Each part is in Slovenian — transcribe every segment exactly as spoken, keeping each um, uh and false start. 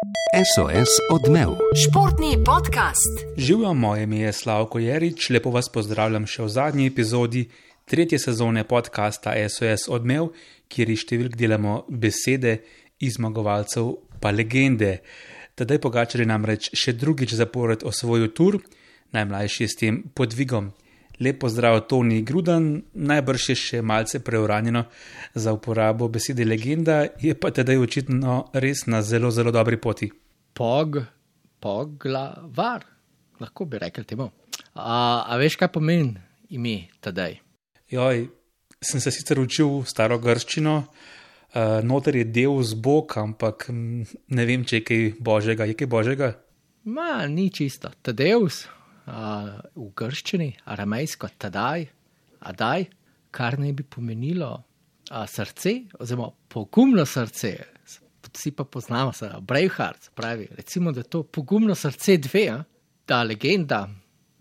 S O S Odmev. Športni podcast. Živijo, moje ime je Slavko Jerič, lepo vas pozdravljam še v zadnji epizodi tretje sezone podcasta S O S Odmev, kjer iz številk delamo besede iz zmagovalcev pa legende. Tadej Pogačar je namreč še drugič zapored osvojil tur, najmlajši je s tem podvigom. Lep pozdrav Toni Grudan, najbrž je še malce preuranjeno za uporabo besede legenda, je pa tedaj očitno res na zelo, zelo dobri poti. Pog, poglavar, lahko bi rekel temu. A, a veš, kaj pomeni ime tedaj? Joj, sem se sicer učil staro grščino, uh, noter je Deus Bog, ampak ne vem, če je kaj božjega. Je kaj božjega? Ma, ni čisto. Tadeus, uh, v grščini, aramejsko, tadaj, adaj, kar ne bi pomenilo uh, srce, oziroma pogumno srce. Vsi pa poznamo se, Braveheart, pravi, recimo, da je to pogumno srce dve, a? Ta legenda,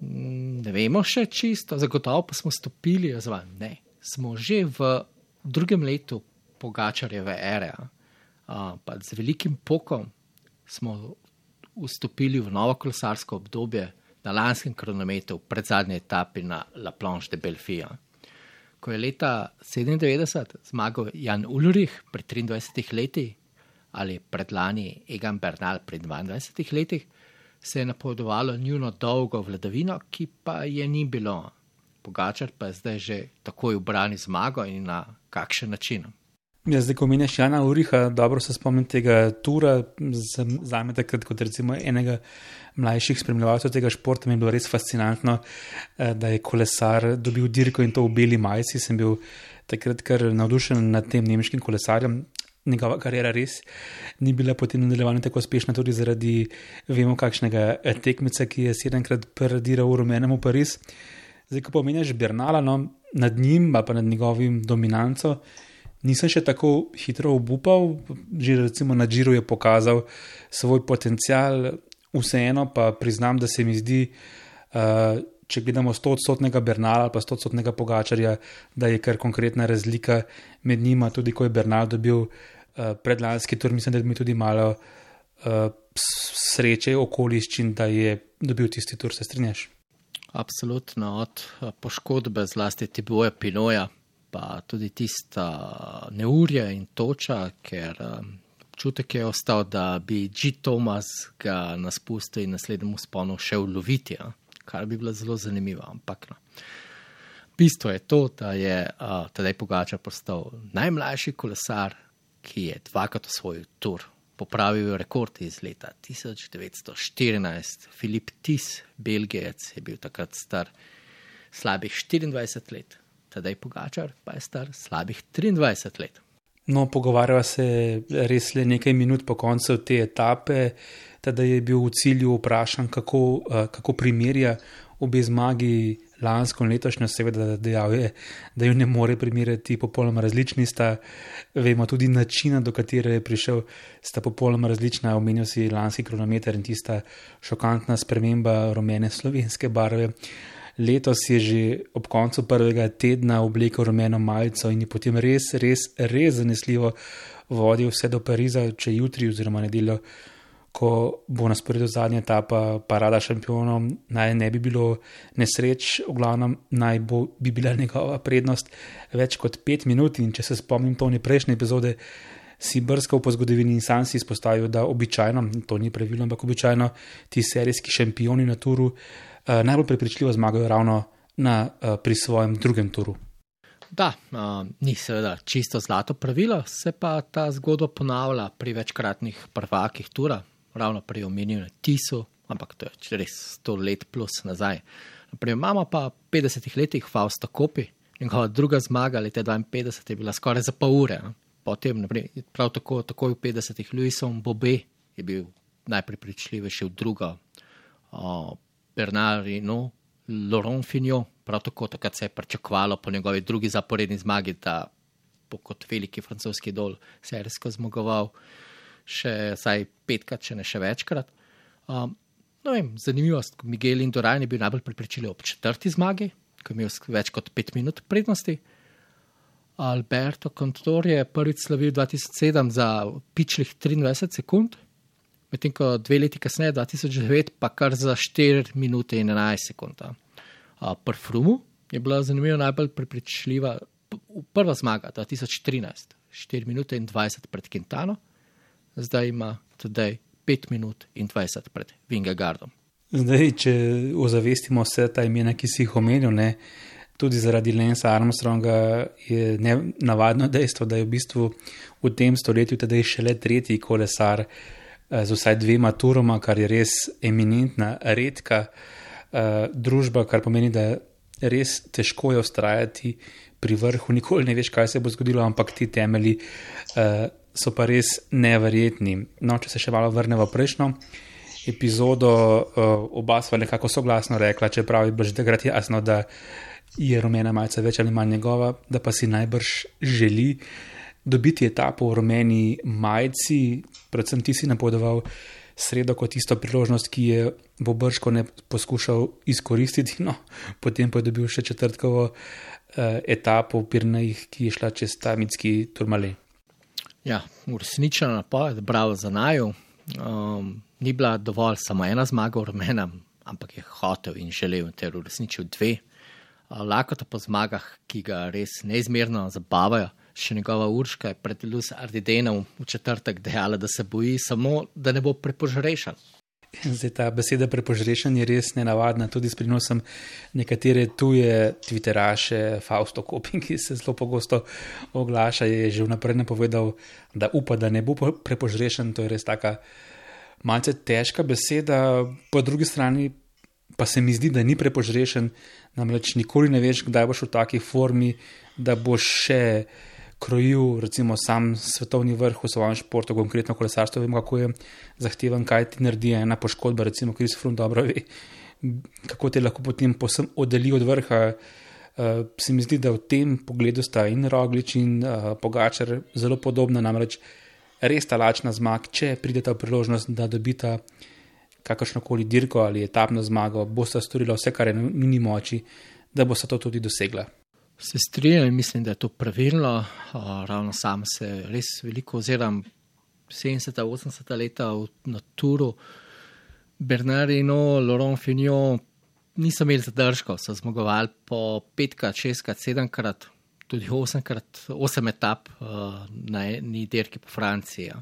ne vemo še čisto, zagotovo pa smo stopili, oziroma ne, smo že v drugem letu Pogačarjeve ere, a, pa z velikim pokom smo vstopili v novo kolesarsko obdobje na lanskem kronometru pred zadnje etapi na La Planche de Belfi. Ko je leta sedemindevetdeset zmagal Jan Ullrich pri triindvajsetih letih, ali predlani Egan Bernal pri dvaindvajsetih letih, se je napovedovalo njuno dolgo vladavino, ki pa je ni bilo. Pogačar pa je zdaj že takoj ubrani zmago in na kakšen način. Ja, zdaj, ko menjaš Jana Ullricha, dobro se spomnim tega tura, zame takrat kot recimo enega mlajših spremljevalcev tega športa, mi je bilo res fascinantno, da je kolesar dobil dirko in to v beli majici. Sem bil takrat kar navdušen nad tem nemškim kolesarjem. Njegova karijera res ni bila potem nadaljevanja tako uspešna tudi zaradi, vemo, kakšnega tekmeca, ki je sedemkrat paradiral v rumenem v Pariz. Zdaj, ko pomenjaš Bernala, no, nad njim, pa nad njegovim dominanco, nisem še tako hitro obupal, že recimo na Giro je pokazal svoj potencial, vseeno pa priznam, da se mi zdi, uh, če gledamo stoodstotnega Bernala ali pa stoodstotnega Pogačarja, da je kar konkretna razlika med njima, tudi ko je Bernal dobil uh, predlanski tur, mislim, da bi mi tudi malo uh, sreče okoliščin, da je dobil tisti tur, se strinjaš? Absolutno, od poškodbe zlasti Thibaut Pinoja, pa tudi tista neurja in toča, ker občutek je ostal, da bi G. Thomas ga na spustu in naslednjemu sponu še uloviti, ja? Kar bi bilo zelo zanimivo, ampak no. Bistvo je to, da je uh, tedaj Pogačar postal najmlajši kolesar, ki je dvakrat osvojil tur. Popravil rekord iz leta tisoč devetsto štirinajst. Filip Tis, Belgijec, je bil takrat star slabih štiriindvajset let. Tedaj Pogačar pa je star slabih triindvajset let. No, pogovarjava se res le nekaj minut po koncu te etape, teda je bil v cilju vprašan, kako, kako primerja obe zmagi lansko in letošnjo, seveda dejal je, da jo ne more primerjati, popolnoma različni sta, vemo tudi načina, do katere je prišel, sta popolnoma različna, omenil si lanski kronometer in tista šokantna sprememba rumene slovenske barve. Letos je že ob koncu prvega tedna oblekel rumeno majico in je potem res, res, res zanesljivo vodil vse do Pariza, če jutri oziroma nedeljo, ko bo na sporedu zadnja etapa parada šampionov, naj ne bi bilo nesreč, v glavnem naj bo, bi bila njegova prednost več kot pet minut in če se spomnim Toni prejšnje epizode, si brskal po zgodovini in sam si izpostavil, da običajno, to ni pravilo, ampak običajno ti serijski šampioni na turu Uh, najbolj prepričljivo zmagajo ravno na, uh, pri svojem drugem turu. Da, uh, ni seveda čisto zlato pravilo, se pa ta zgodba ponavlja pri večkratnih prvakih tura, ravno pri omenjenem Tisu, ampak to je res sto let plus nazaj. Naprimer, imamo pa v petdesetih letih Fausta Coppi, njegova druga zmaga leta dvainpetdeset je bila skoraj za pol ure. Ne? Potem, naprimer, prav tako, takoj v petdesetih Louisom Bobet je bil najprepričljivejši v drugo. Uh, Bernard Hinault, Laurent Fignon, prav tako takrat se je pričakovalo po njegovi drugi zaporedni zmagi, da bo kot veliki francoski idol serijsko zmagoval še vsaj petkrat, če ne še večkrat. Um, no vem, zanimivost, Miguel Indurain je bil najbolj prepričljiv ob četrti zmagi, ko je imel več kot pet minut prednosti. Alberto Contador je prvič slavil dva tisoč sedem za pičlih triindvajset sekund, medtem ko dve leti kasneje, dva tisoč devet, pa kar za štiri minute in enajst sekund. Pri Frumu je bila zanimiva najbolj prepričljiva prva zmaga, dva tisoč trinajst, štiri minute in dvajset pred Quintano, zdaj ima tudi pet minut in dvajset pred Vingegaardom. Zdaj, če ozavestimo vse ta imena, ki si jih omenil, ne, tudi zaradi Lance Armstronga je navadno dejstvo, da je v bistvu v tem stoletju tedaj šele tretji kolesar z vsaj dvema turoma, kar je res eminentna, redka uh, družba, kar pomeni, da res težko je ustrajati pri vrhu, nikoli ne veš, kaj se bo zgodilo, ampak ti temelji uh, so pa res neverjetni. No, če se še malo vrnemo v prejšnjo epizodo, uh, oba sva nekako soglasno rekla, čeprav je bilo že takrat jasno, da je rumena majica več ali manj njegova, da pa si najbrž želi dobiti etapo v rumeni majici, predvsem ti si napovedoval sredo kot tisto priložnost, ki je bo brško ne poskušal izkoristiti, no, potem pa je dobil še četrtkovo uh, etapo v Pirenejih, ki je šla čez ta mitski Tourmalet. Ja, uresničena napoved, bravo za naju. Um, ni bila dovolj samo ena zmaga v rumenem, ampak je hotel in želel ter uresničil dve. Uh, lakota po zmagah, ki ga res neizmerno zabavajo. Še njegova Urška je pred Luz Ardidenom v četrtek dejala, da se boji samo, da ne bo prepožrešen. Zdaj, ta beseda prepožrešen je res nenavadna, tudi s prinosom nekatere tuje twitteraše, Fausto Kopin, ki se zelo pogosto oglaša, je že vnaprej napovedal, da upa, da ne bo prepožrešen. To je res taka malce težka beseda, po drugi strani pa se mi zdi, da ni prepožrešen, namreč nikoli ne veš, kdaj boš v taki formi, da boš še krojil recimo sam svetovni vrh v svojem športu, konkretno kolesarstvo, vem, kako je zahteven, kaj ti naredi ena poškodba, recimo Chris Froome dobro ve, kako te lahko potem posem oddeli od vrha. Uh, se mi zdi, da v tem pogledu sta in Roglič in uh, Pogačar zelo podobna, namreč res ta lačna zmag, če prideta v priložnost, da dobita kakršnokoli dirko ali etapno zmago, bosta storila vse, kar je na njuni moči, da bosta to tudi dosegla. Se strinjam in mislim, da je to pravilno. Uh, ravno sam se res veliko oziram sedemdeseta, osemdeseta leta na Touru. Bernard Hinault, Laurent Fignon niso imeli zadržkov, so zmagovali po petkrat, šestkrat, sedemkrat, tudi osemkrat, osem etap uh, na eni dirki po Franciji.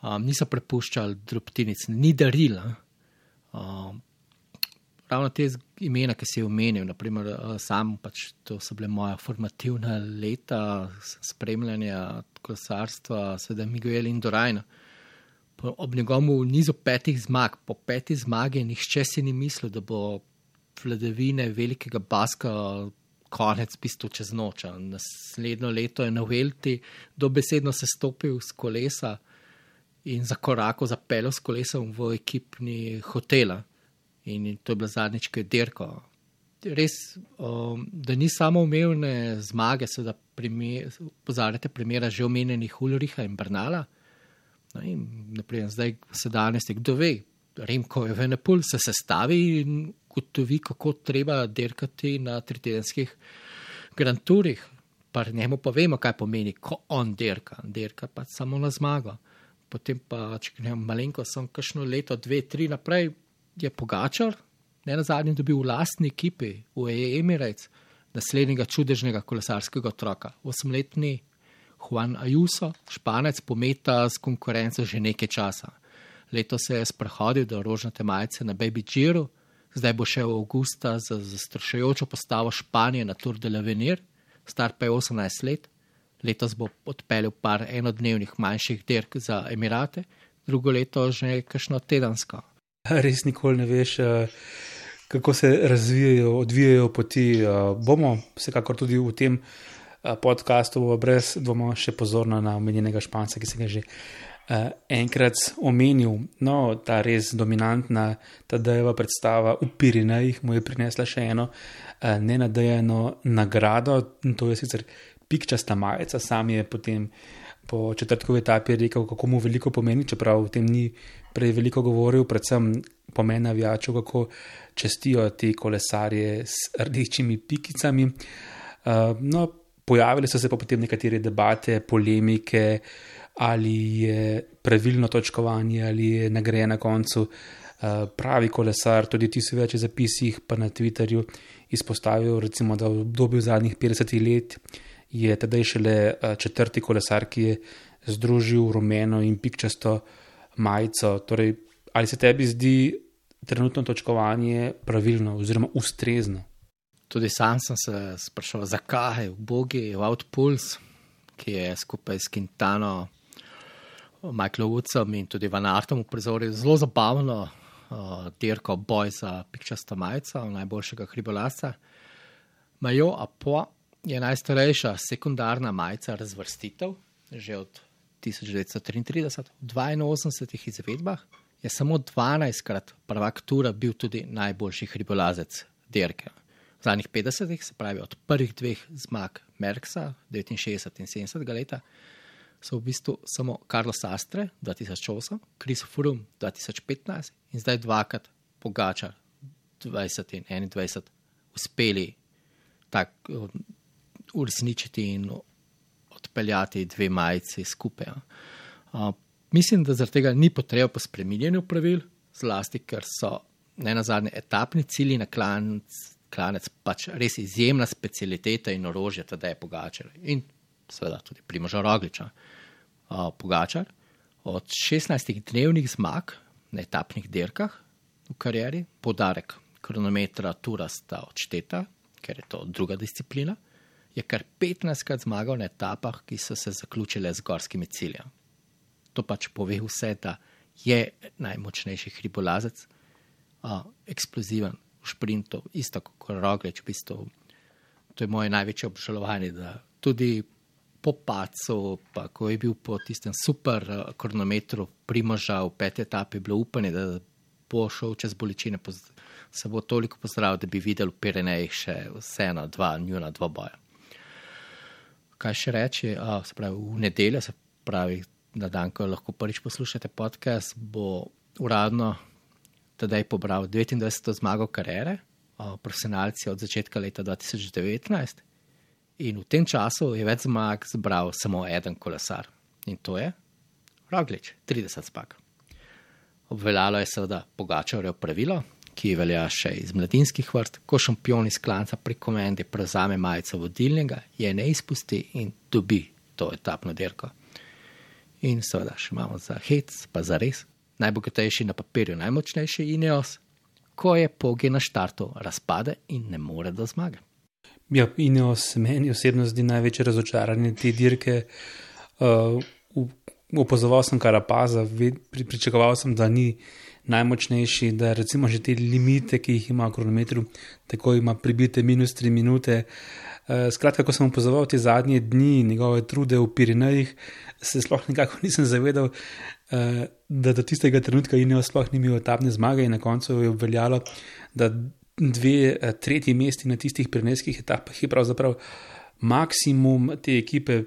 Um, niso prepuščali drobtinic, ni darila. Um, Ravno te imena, ki si je omenil, naprimer sam, pač to so bile moja formativna leta spremljanja kolesarstva, seveda Miguel Indurain. Ob njegovem nizu petih zmag, po petih zmagi, nihče si ni mislil, da bo vladavine velikega Baska konec bistvo čez noč. Naslednjo leto je na Vuelti dobesedno se stopil z kolesa in zakorakal, zapeljal s kolesom v ekipni hotela. In to je bila zadnjič, ko je dirko. Res, um, da ni samo umevne zmage, se da pozarjate primera že omenjenih Ulricha in Bernala. No in naprimer, zdaj se danes, kdo ve, Remco Evenepoel se sestavi in gotovi, kako treba dirkati na tritedenskih Grand Tourih. Pa njemu pa vemo, kaj pomeni, ko on dirka. Dirka pa samo na zmago. Potem pa, če ne vem, malenko sem kakšno leto, dve, tri naprej, je Pogačar, ne na zadnjem dobil v lastni ekipi, v Emirates, naslednjega čudežnega kolesarskega otroka. Osemletni Juan Ayuso, Španec, pometa z konkurenco že nekaj časa. Leto se je sprehodil do rožnate majice na Baby Giro, zdaj bo šel v avgusta za zastrašujočo postavo Španije na Tour de l'Avenir, star pa je osemnajst let. Letos bo odpeljal par enodnevnih manjših dirk za Emirate, drugo leto že kakšno tedensko. Res nikoli ne veš, kako se razvijajo, odvijajo poti. Bomo vsekakor tudi v tem podcastu brez dvoma še pozorno na omenjenega Španca, ki se ga že enkrat omenil. No, ta res dominantna Tadejeva predstava v Pirenejih mu je prinesla še eno nenadejano nagrado, in to je sicer pikčasta majica. Sam je potem po četrtkovi etapi rekel, kako mu veliko pomeni, čeprav v tem ni prej veliko govoril, predvsem pomen navijačev, kako čestijo te kolesarje s rdečimi pikicami. Uh, no, pojavili so se pa potem nekatere debate, polemike, ali je pravilno točkovanje, ali je nagrajen na koncu pravi kolesar. Tudi ti si več v zapisih pa na Twitterju izpostavil, recimo, da v obdobju zadnjih petdesetih let je tedaj šele četrti kolesar, ki je združil rumeno in pikčasto majico. Torej, ali se tebi zdi trenutno točkovanje pravilno oziroma ustrezno? Tudi sam sem se sprašal, zakaj v Bogi Wout Poels, ki je skupaj s Quintano, Michaelom Woodsom in tudi Van Aertom uprizoril zelo zabavno uh, dirko boj za pikčasto majico najboljšega hribolazca. Maillot à Poix je najstarejša sekundarna majica razvrstitev, že od tisoč devetsto triintrideset, v dvainosemdesetih izvedbah je samo dvanajstkrat prvak tura bil tudi najboljši hribolazec dirke. V zadnjih petdesetih, se pravi od prvih dveh zmag Merckxa, devetinšestdeset in sedemdesetega leta, so v bistvu samo Carlos Sastre, dva tisoč osem, Chris Froome, dva tisoč petnajst in zdaj dvakrat Pogačar, dvajset in enaindvajset, uspeli tak uresničiti in odpeljati dve majici skupaj. Uh, mislim, da zaradi tega ni potreba po spreminjanju pravil, zlasti, ker so ne nazadnje etapni cilji na klanec, klanec pač res izjemna specialiteta in orožje, teda je Pogačar in seveda tudi Primoža Rogliča. Uh, Pogačar od šestnajstih dnevnih zmag na etapnih dirkah v karieri, podarek kronometra tura sta odšteta, ker je to druga disciplina, je kar petnajstkrat zmagal na etapah, ki so se zaključile z gorskimi cilji. To pač pove vse, da je najmočnejši hribolazec, uh, eksploziven v šprintu, isto kot Roglič, v bistvu. To je moje največje obžalovanje, da tudi po padcu, pa ko je bil po tistem super uh, kronometru Primoža v peti etapi, bilo upanje, da bo šel čez bolečine, se bo toliko pozdravil, da bi videl v Pirenejih še vseeno dva, njuna dva boja. Kaj še reči, uh, se pravi, v nedeljo, se pravi, na dan, ko lahko prvič poslušate podcast, bo uradno tedaj pobral devetindvajseto zmago kariere, uh, profesionalci od začetka leta dva tisoč devetnajst, in v tem času je več zmag zbral samo eden kolesar. In to je Roglič, trideset zmag. Obveljalo je seveda Pogačarjevo pravilo, ki velja še iz mladinskih vrst, ko šampion iz klanca pri komendi prevzame majico vodilnega, je ne izpusti in dobi to etapno dirko. In seveda še imamo za hec, pa za res, najbogatejši na papirju, najmočnejši Ineos, ko je Pogi na štartu razpade in ne more do zmage. Ja, Ineos meni osebno zdi največje razočaranje te dirke. Uh, Opozoval sem Carapaza, pri, pričakoval sem, da ni najmočnejši, da recimo že te limite, ki jih ima v kronometru, tako ima pribite minus tri minute. Uh, skratka, ko sem opozoval te zadnje dni njegove trude v Pirenejih, se sploh nekako nisem zavedal, uh, da do tistega trenutka Ineos sploh ni imel etapne zmage in na koncu je obveljalo, da dve uh, tretji mesti na tistih pirenejskih etapah je pravzaprav maksimum te ekipe.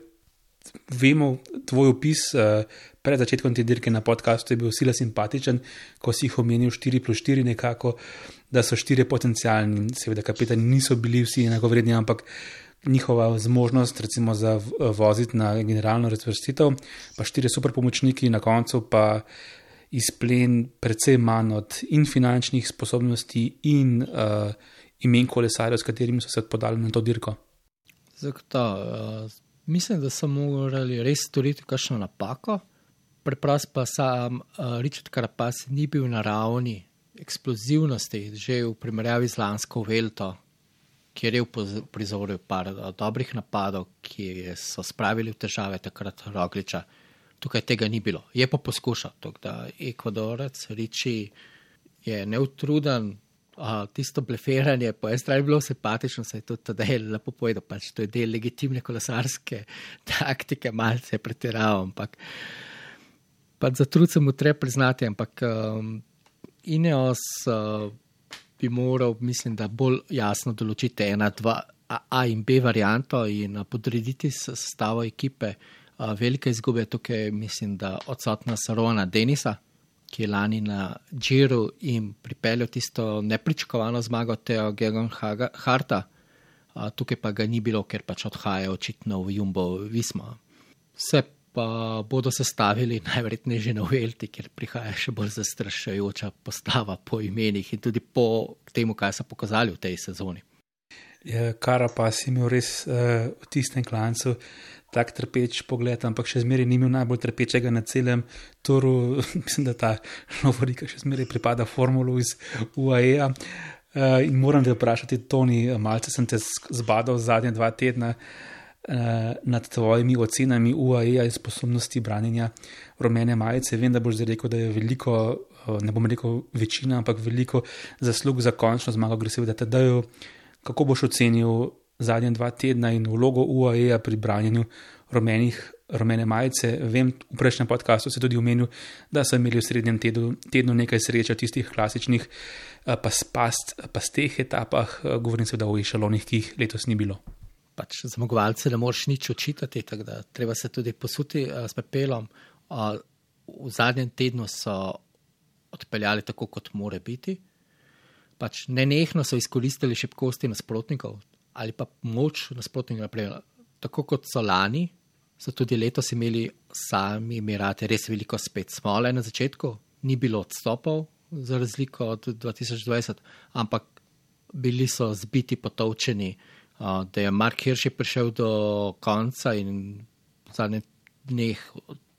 Vemo, tvoj opis uh, pred začetkom te dirke na podcastu je bil sila simpatičen, ko si jih omenil štiri plus štiri nekako, da so štiri potencialni, seveda kapetani niso bili vsi enakovredni, ampak njihova zmožnost recimo za voziti na generalno razvrstitev, pa štiri super pomočniki, na koncu pa izplen precej manj od in finančnih sposobnosti in uh, imen kolesarjev, s katerimi so se podali na to dirko. Zato, uh... Mislim, da so morali res storiti kakšno napako, preprosto pa sam uh, Richard Carapaz ni bil na ravni eksplozivnosti, že v primerjavi z lansko Vuelto, kjer je uprizoril par uh, dobrih napadov, ki so spravili v težave takrat Rogliča. Tukaj tega ni bilo. Je pa poskušal, tako da Ekvadorec Riči je neutruden. Uh, tisto bleferanje po eni strani bilo simpatično, se je tudi tedaj lepo povedal, pač to je del legitimne kolesarske taktike, malce je pretiraval, ampak pač za trud se mu treba priznati, ampak um, Ineos uh, bi moral, mislim, da bolj jasno določiti ena, dva A in B varianto in uh, podrediti sestavo ekipe. Uh, velika izguba je tukaj, mislim, da odsotna Sarona Denisa, ki je lani na Giro in pripeljal tisto nepričakovano zmago Theo Gegenharta. Tukaj pa ga ni bilo, ker pač odhaja očitno v Jumbo Visma. Vse pa bodo sestavili najverjetneje že na Vuelti, kjer prihaja še bolj zastrašujoča postava po imenih in tudi po temu, kaj so pokazali v tej sezoni. Ja, Carapaz je imel res uh, v tistem klancu tak trpeč pogled, ampak še zmeraj ni imel najbolj trpečega na celem toru. Mislim, da ta lovorika še zmeraj pripada formulu iz U A E-a. Uh, in moram te vprašati, Toni, malce sem te zbadal zadnje dva tedna uh, nad tvojimi ocenami U A E-a in sposobnosti branjenja rumene majice. Vem, da boš zdaj rekel, da je veliko, uh, ne bom rekel večina, ampak veliko zaslug za končno zmago gre seveda Tadeju. Kako boš ocenil zadnje dva tedna in vlogo U A E-a pri branjenju rumenih, rumene majice? Vem, v prejšnjem podcastu si tudi omenil, da so imeli v srednjem tednu, tednu nekaj sreče v tistih klasičnih pas, pas, pasteh etapah, govorim seveda o ešalonih, ki jih letos ni bilo. Pač zmagovalce ne moreš nič očitati, tako da treba se tudi posuti s pepelom. V zadnjem tednu so odpeljali tako, kot more biti. Pač nenehno so izkoristili šibkosti nasprotnikov ali pa moč nasprotnikov naprej. Tako kot so lani, so tudi letos imeli sami Emirati res veliko spet smole na začetku. Ni bilo odstopov za razliko od dva tisoč dvajset, ampak bili so zbiti, potovčeni, da je Mark Hirschi prišel do konca in v zadnjih dneh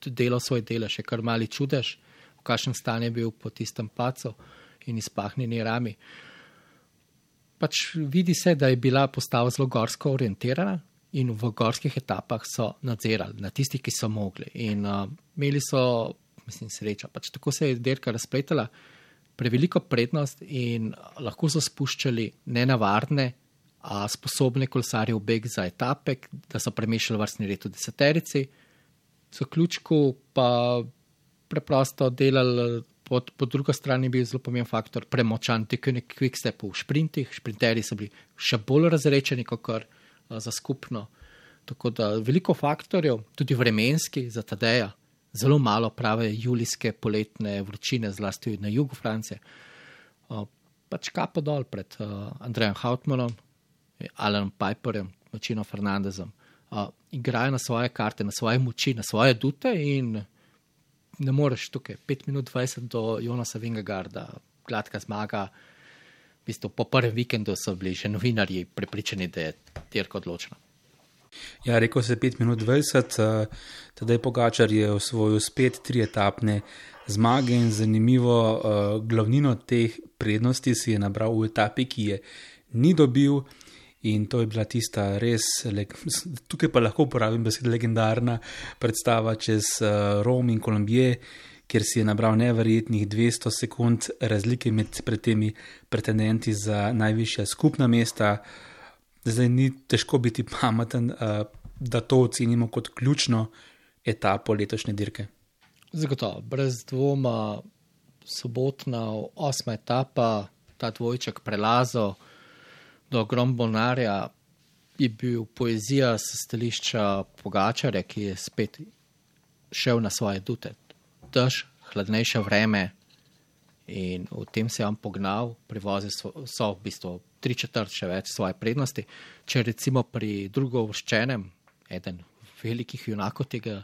delal svoj del, še kar mali čudež, v kakšnem stanju je bil po tistem pacu in izpahnjeni rami. Pač vidi se, da je bila postava zelo gorsko orientirana in v gorskih etapah so nadzirali na tistih, ki so mogli. In uh, imeli so, mislim, srečo. Pač tako se je dirka razpletala, preveliko prednost in lahko so spuščali nenavarne, a sposobne kolesarje v beg za etape, da so premešali vrstni red v deseterici. V zaključku pa preprosto delali. Po, po drugo strani je bil zelo pomemben faktor premočan teknik quickstep v šprintih. Šprinterji so bili še bolj razrečeni kot kar uh, za skupno. Tako da veliko faktorjev, tudi vremenski za Tadeja, zelo malo prave julijske poletne vročine, zlasti na jugu Francije. Uh, pač kapo dol pred uh, Andrejem Hautmanom, Alanom Piperjem, Machino Fernandezom. Uh, igrajo na svoje karte, na svoje moči, na svoje dute in ne moreš tukaj, pet minut dvajset do Jonasa Vingegaarda, gladka zmaga. V bistvu po prvem vikendu so bili že novinarji prepričani, da je dirka odločena. Ja, rekel se pet minut dvajset, Tadej Pogačar je osvojil spet tri etapne zmage in zanimivo, glavnino teh prednosti si je nabral v etapi, ki je ni dobil. In to je bila tista res, tukaj pa lahko uporabim besed legendarna predstava čez Rom in Kolumbije, kjer si je nabral neverjetnih dvesto sekund razlike med pred temi pretendenti za najvišja skupna mesta. Zdaj ni težko biti pameten, da to ocenimo kot ključno etapo letošnje dirke. Zagotovo, brez dvoma sobotna osma etapa, ta dvojček prelazov do Grombonarja je bil poezija s stališča Pogačarja, ki je spet šel na svoje dute. Dež, hladnejše vreme in v tem se je on pognal, privozil so v bistvu tri četrt še več svoje prednosti. Če recimo pri drugouvrščenem, eden velikih junakov tega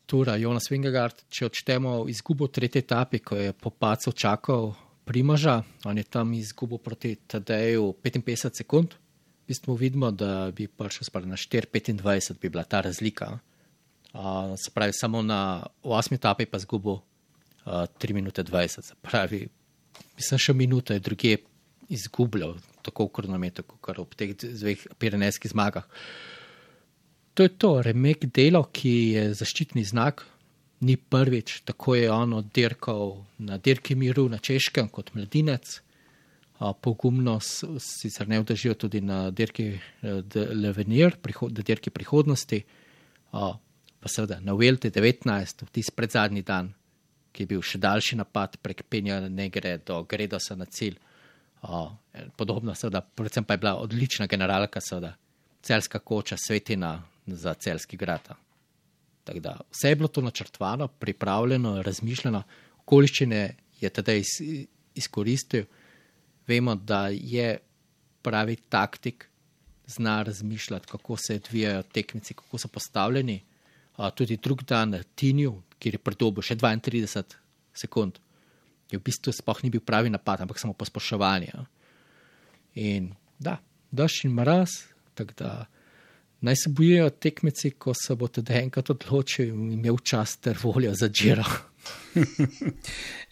tura, Jonas Vingegaard, če odštemo izgubo tretje etape, ko je po pacu čakal Primoža, on je tam izgubil proti Tadeju petinpetdeset sekund. V bistvu vidimo, da bi prišel spali na štiri petindvajset, bi bila ta razlika. Uh, se pravi, samo na osmi etapi pa izgubil uh, tri minute dvajset. Se pravi, mislim, še minuto je druge izgubljal, tako v kronometru, kot ob teh dveh pirenejskih zmagah. To je to, Remek Delo, ki je zaščitni znak, ni prvič, tako je on oddirkal na dirki miru na Češkem kot mladinec. Pogumno sicer ne vdržijo tudi na dirki L'Avenir, na dirki prihodnosti, pa seveda na Vuelti devetnajst, v tisti predzadnji dan, ki je bil še daljši napad prek Penja Negre do Gredosa na cilj. Podobno seveda, predvsem pa je bila odlična generalka, seveda, celjska koča, svetina za celjski grad. Tako da vse je bilo to načrtovano, pripravljeno, razmišljeno, okoliščine je tedaj izkoristil. Vemo, da je pravi taktik, zna razmišljati, kako se odvijajo tekmici, kako so postavljeni. uh, tudi drug dan na Tinju, kjer je pridobil še dvaintrideset sekund. Je v bistvu sploh ni bil pravi napad, ampak samo posploševanje. In da, daš in mraz, tako da naj se bojijo tekmeci, ko se bo tudi enkrat odločil in imel čas ter voljo za Giro.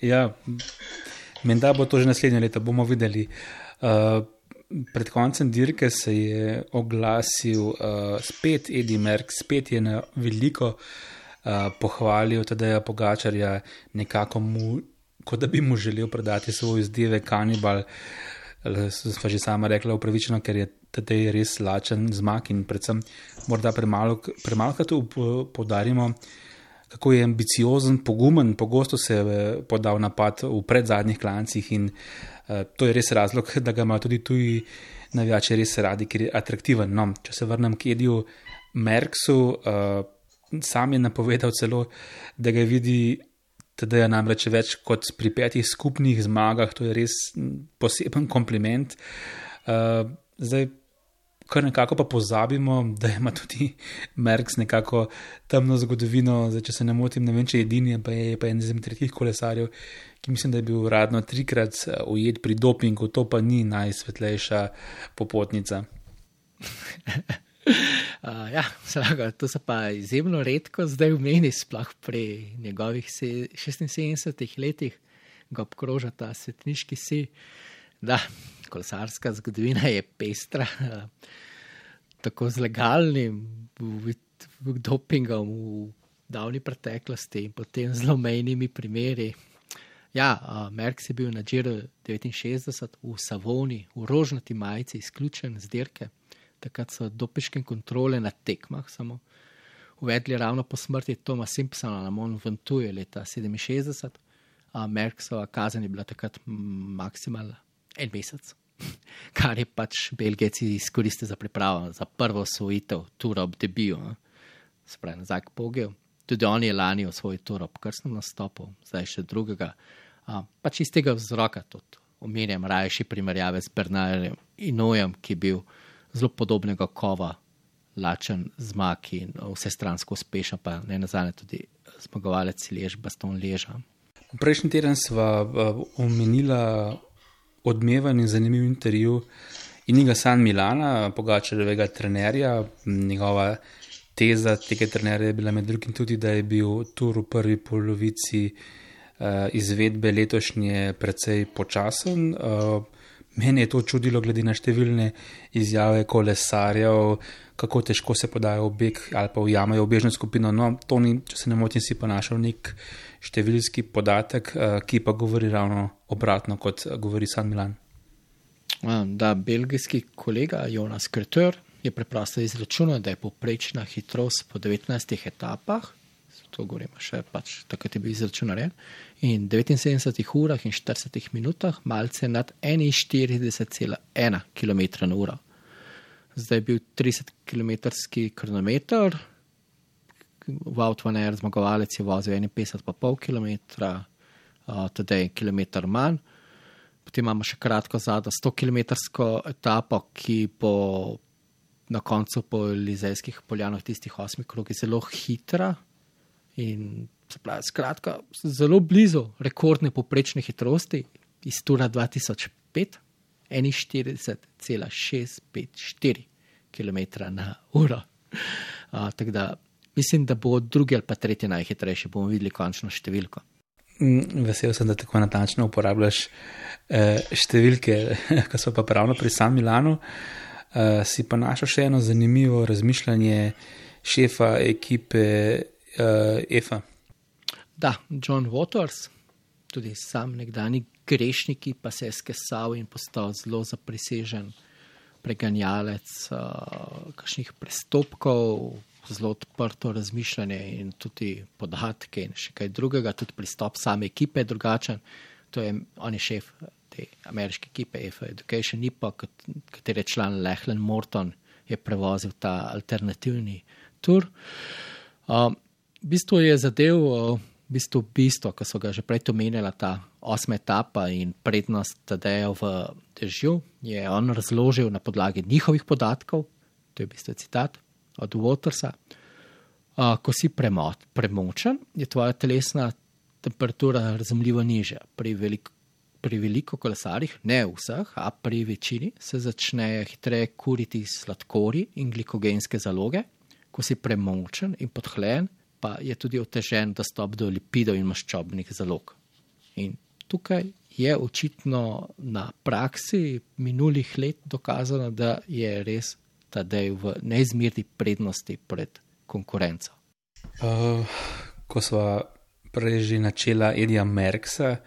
Ja, menda bo to že naslednje leto, bomo videli. Uh, pred koncem dirke se je oglasil uh, spet Eddy Merckx, spet je na veliko uh, pohvalil Tadeja Pogačarja, nekako mu, kot da bi mu želel predati svoj izdevek Kanibal. Sva že sama rekla upravičeno, ker je Tadej res lačen zmag in predvsem morda premalo, premalo krat poudarimo, kako je ambiciozen, pogumen, pogosto se je podal napad v predzadnjih klancih in uh, to je res razlog, da ga imajo tudi tuji navijači res radi, ker je atraktiven. No, če se vrnem k Ediju Merckxu, uh, sam je napovedal celo, da ga vidi Tadeja namreč več kot pri petih skupnih zmagah, to je res poseben kompliment. Uh, zdaj, kar nekako pa pozabimo, da ima tudi Merckx nekako temno zgodovino, zdaj, če se ne motim, ne vem, če je edini, pa je pa en izmed tretjih kolesarjev, ki mislim, da je bil radno trikrat ujet pri dopingu, to pa ni najsvetlejša popotnica. Uh, ja, slaga, to se pa izjemno redko zdaj vmeni, sploh pri njegovih šestinsedemdesetih letih ga obkroža ta svetniški si. Da, kolesarska zgodovina je pestra, uh, tako z legalnim v, v dopingom v davni preteklosti in potem z zlomejnimi primeri. Ja, uh, Merckx je bil na Giro devetinšestdeset v Savoni, v rožnati majici, izključen z dirke. Takrat so dopinške kontrole na tekmah samo uvedli ravno po smrti Toma Simpsona na Mont Ventoux leta sedeminšestdeset. A Merckxova kazen je bila takrat maksimalna en mesec, kar je pač Belgijci izkoristili za pripravo, za prvo osvojitev tura ob debiju. Se pravi, nazaj k Pogiju. Tudi on je lani osvojil tura ob krstnem nastopu, zdaj še drugega. A, pač iz tega vzroka tudi omenjam rajši primerjave s Bernardom Hinaultom, ki je bil zelo podobnega kova, lačen zmag in vsestransko uspešen, pa ne nazadnje tudi zmagovalec Liège, Bastogne Liège. Prejšnji teden sva uh, omenila odmeven in zanimiv intervju Iniga San Milana, Pogačarjevega trenerja. Njegova teza tega trenerja je bila med drugim tudi, da je bil tur v prvi polovici uh, izvedbe letošnje precej počasen. Uh, Mene je to čudilo glede na številne izjave kolesarjev, kako težko se podajo v beg ali pa ujamajo v bežno skupino. No, to ni, če se ne motim, si pa našel nek številski podatek, ki pa govori ravno obratno, kot govori San Milan. Da, belgijski kolega Jonas Kreter je preprosto izračunal, da je povprečna hitrost po devetnajstih etapah, to govorimo še pač, takrat je bil izračun narejen, in devetinsedemdesetih urah in štiridesetih minutah malce nad enainštirideset cela ena kilometra na uro. Zdaj je bil tridesetkilometrski kronometer, Wout van Aert zmagovalec je vozil enainpetdeset celih pet kilometra, uh, tedaj en kilometer manj. Potem imamo še kratko zadnjo stokilometrsko etapo, ki bo na koncu po Elizejskih poljanah tistih osmih krogih zelo hitra, in se pravi, skratka, zelo blizu rekordne poprečne hitrosti iz tura dva tisoč pet, enainštirideset cela šest pet štiri kilometra na uro. Uh, tako da mislim, da bo drugi ali pa tretji najhitrejši, bomo videli končno številko. Vesel sem, da tako natančno uporabljaš eh, številke, ko so pa pravno pri San Milanu. Eh, si pa našel še eno zanimivo razmišljanje šefa ekipe Uh, Efa. Da, John Waters, tudi sam nekdani grešniki, pa se je skesal in postal zelo zaprisežen preganjalec uh, kakšnih prestopkov, zelo odprto razmišljanje in tudi podatke in še kaj drugega, tudi pristop same ekipe je drugačen. To je, on je šef te ameriške ekipe Efa Education, ni pa, katere član Lachlan Morton je prevozil ta alternativni tur. Um, V bistvu je zadev, v bistvu bistvo, ko so ga že prej omenjala, ta osma etapa in prednost Tadeja v dežju, je on razložil na podlagi njihovih podatkov, to je v bistvu citat od Watersa. Uh, ko si premo premočen, je tvoja telesna temperatura razumljivo nižja. Pri, velik pri veliko kolesarjih, ne vseh, a pri večini, se začnejo hitreje kuriti sladkorji in glikogenske zaloge. Ko si premočen in podhlajen, pa je tudi otežen dostop do lipidov in maščobnih zalog. In tukaj je očitno na praksi minulih let dokazano, da je res Tadej v neizmerni prednosti pred konkurenco. Uh, ko sva prej že načela Edija Merckxa,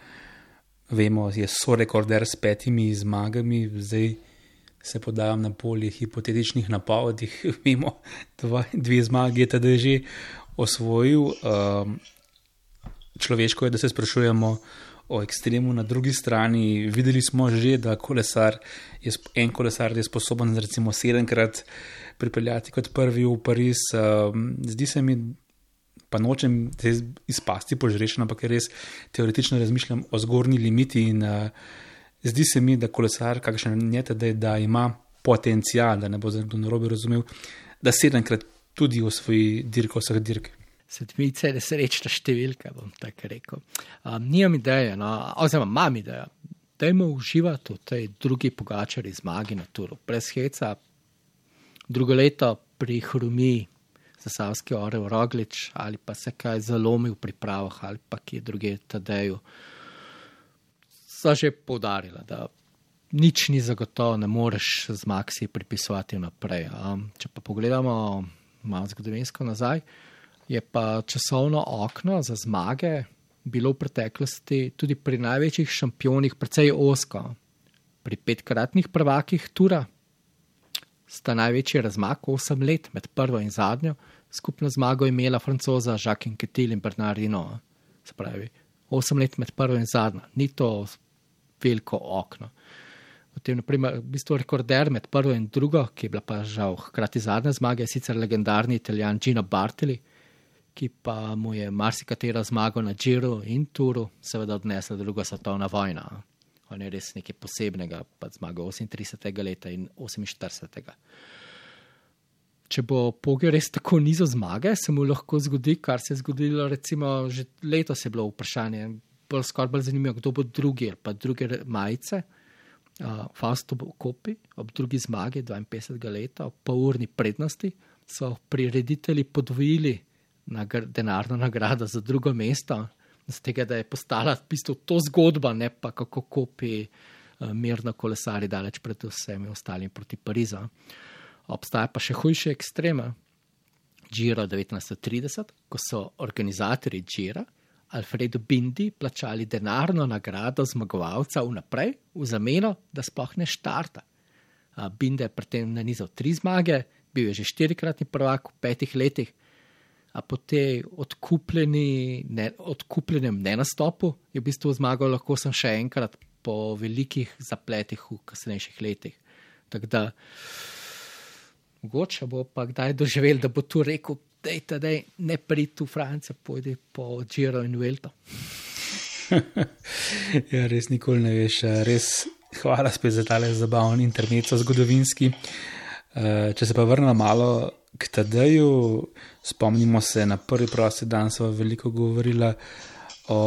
vemo, je sorekorder s petimi zmagami, zdaj se podajam na polje hipotetičnih napovedih, vemo, dva, dve zmagi je Tadej že osvojil. Um, človeško je, da se sprašujemo o ekstremu na drugi strani. Videli smo že, da kolesar je, en kolesar je sposoben recimo sedemkrat pripeljati kot prvi v Pariz. Zdi se mi, pa nočem izpasti požrešen, ampak res teoretično razmišljam o zgornji limiti in zdi se mi, da kolesar, kakšen je Tadej, da ima potencial, da ne bo nekdo narobe razumel, da sedemkrat tudi osvoji dirko vseh dirk. Sedmice je nesrečna številka, bom tako rekel. Um, Nijam ideje, no, oziroma imam idejo, dajmo uživati v tej drugi Pogačarji zmagi na Turu. Brez heca, drugo leto pri Hrumi, Zasavski orel Roglič, ali pa se kaj zalomi v pripravah, ali pa kje druge Tadeju. So že poudarila, da nič ni zagotovo, ne moreš zmag si pripisovati naprej. Um, če pa pogledamo malo zgodovinsko nazaj, je pa časovno okno za zmage bilo v preteklosti tudi pri največjih šampionih precej ozko. Pri petkratnih prvakih Tura sta največji razmak osem let med prvo in zadnjo, skupno zmago imela Francoza Jacques Anquetil in Bernard Hinault. Se pravi, osem let med prvo in zadnjo, ni to veliko okno. Potem, naprimer, v bistvu rekorder med prvo in drugo, ki je bila pa žal hkrati zadnja zmaga, je sicer legendarni Italijan Gino Bartali, ki pa mu je marsikatera zmaga na Giro in Turu seveda odnesla druga svetovna vojna. On je res nekaj posebnega, pa zmaga osemintridesetega leta in oseminštiridesetega. Če bo Pogačar res tako nizo zmage, se mu lahko zgodi, kar se je zgodilo, recimo, že letos je bilo vprašanje, bolj skoraj bolj zanimivo, kdo bo drugi, pa druge majice. Uh, Fausto Coppi ob drugi zmagi dvainpetdesetega leta, ob polurni prednosti, so prireditelji podvojili nagr denarno nagrado za drugo mesto, z tega, da je postala v bistvu to zgodba, ne pa kako Coppi uh, mirno kolesari daleč pred vsemi ostalimi proti Parizu. Obstaja pa še hujše ekstrema. Giro devetnajststo trideset, ko so organizatorji Gira Alfredo Bindi plačali denarno nagrado zmagovalca vnaprej, v zameno, da sploh ne štarta. Uh, Bindi je pri tem nanizal tri zmage, bil je že štirikratni prvak v petih letih, a po tej odkupljeni, ne, odkupljenem nenastopu je v bistvu zmagal lahko sem še enkrat po velikih zapletih v kasnejših letih. Tako da, mogoče bo pa kdaj doživel, da bo tu rekel, dej, dej, ne pridi v Francijo, pojdi po Giro in Vuelto. Ja, res nikoli ne veš. Res hvala spet za tale zabavni intermezzo zgodovinski. Če se pa vrnem malo k Tadeju, spomnimo se, na prvi prosti dan sva veliko govorila o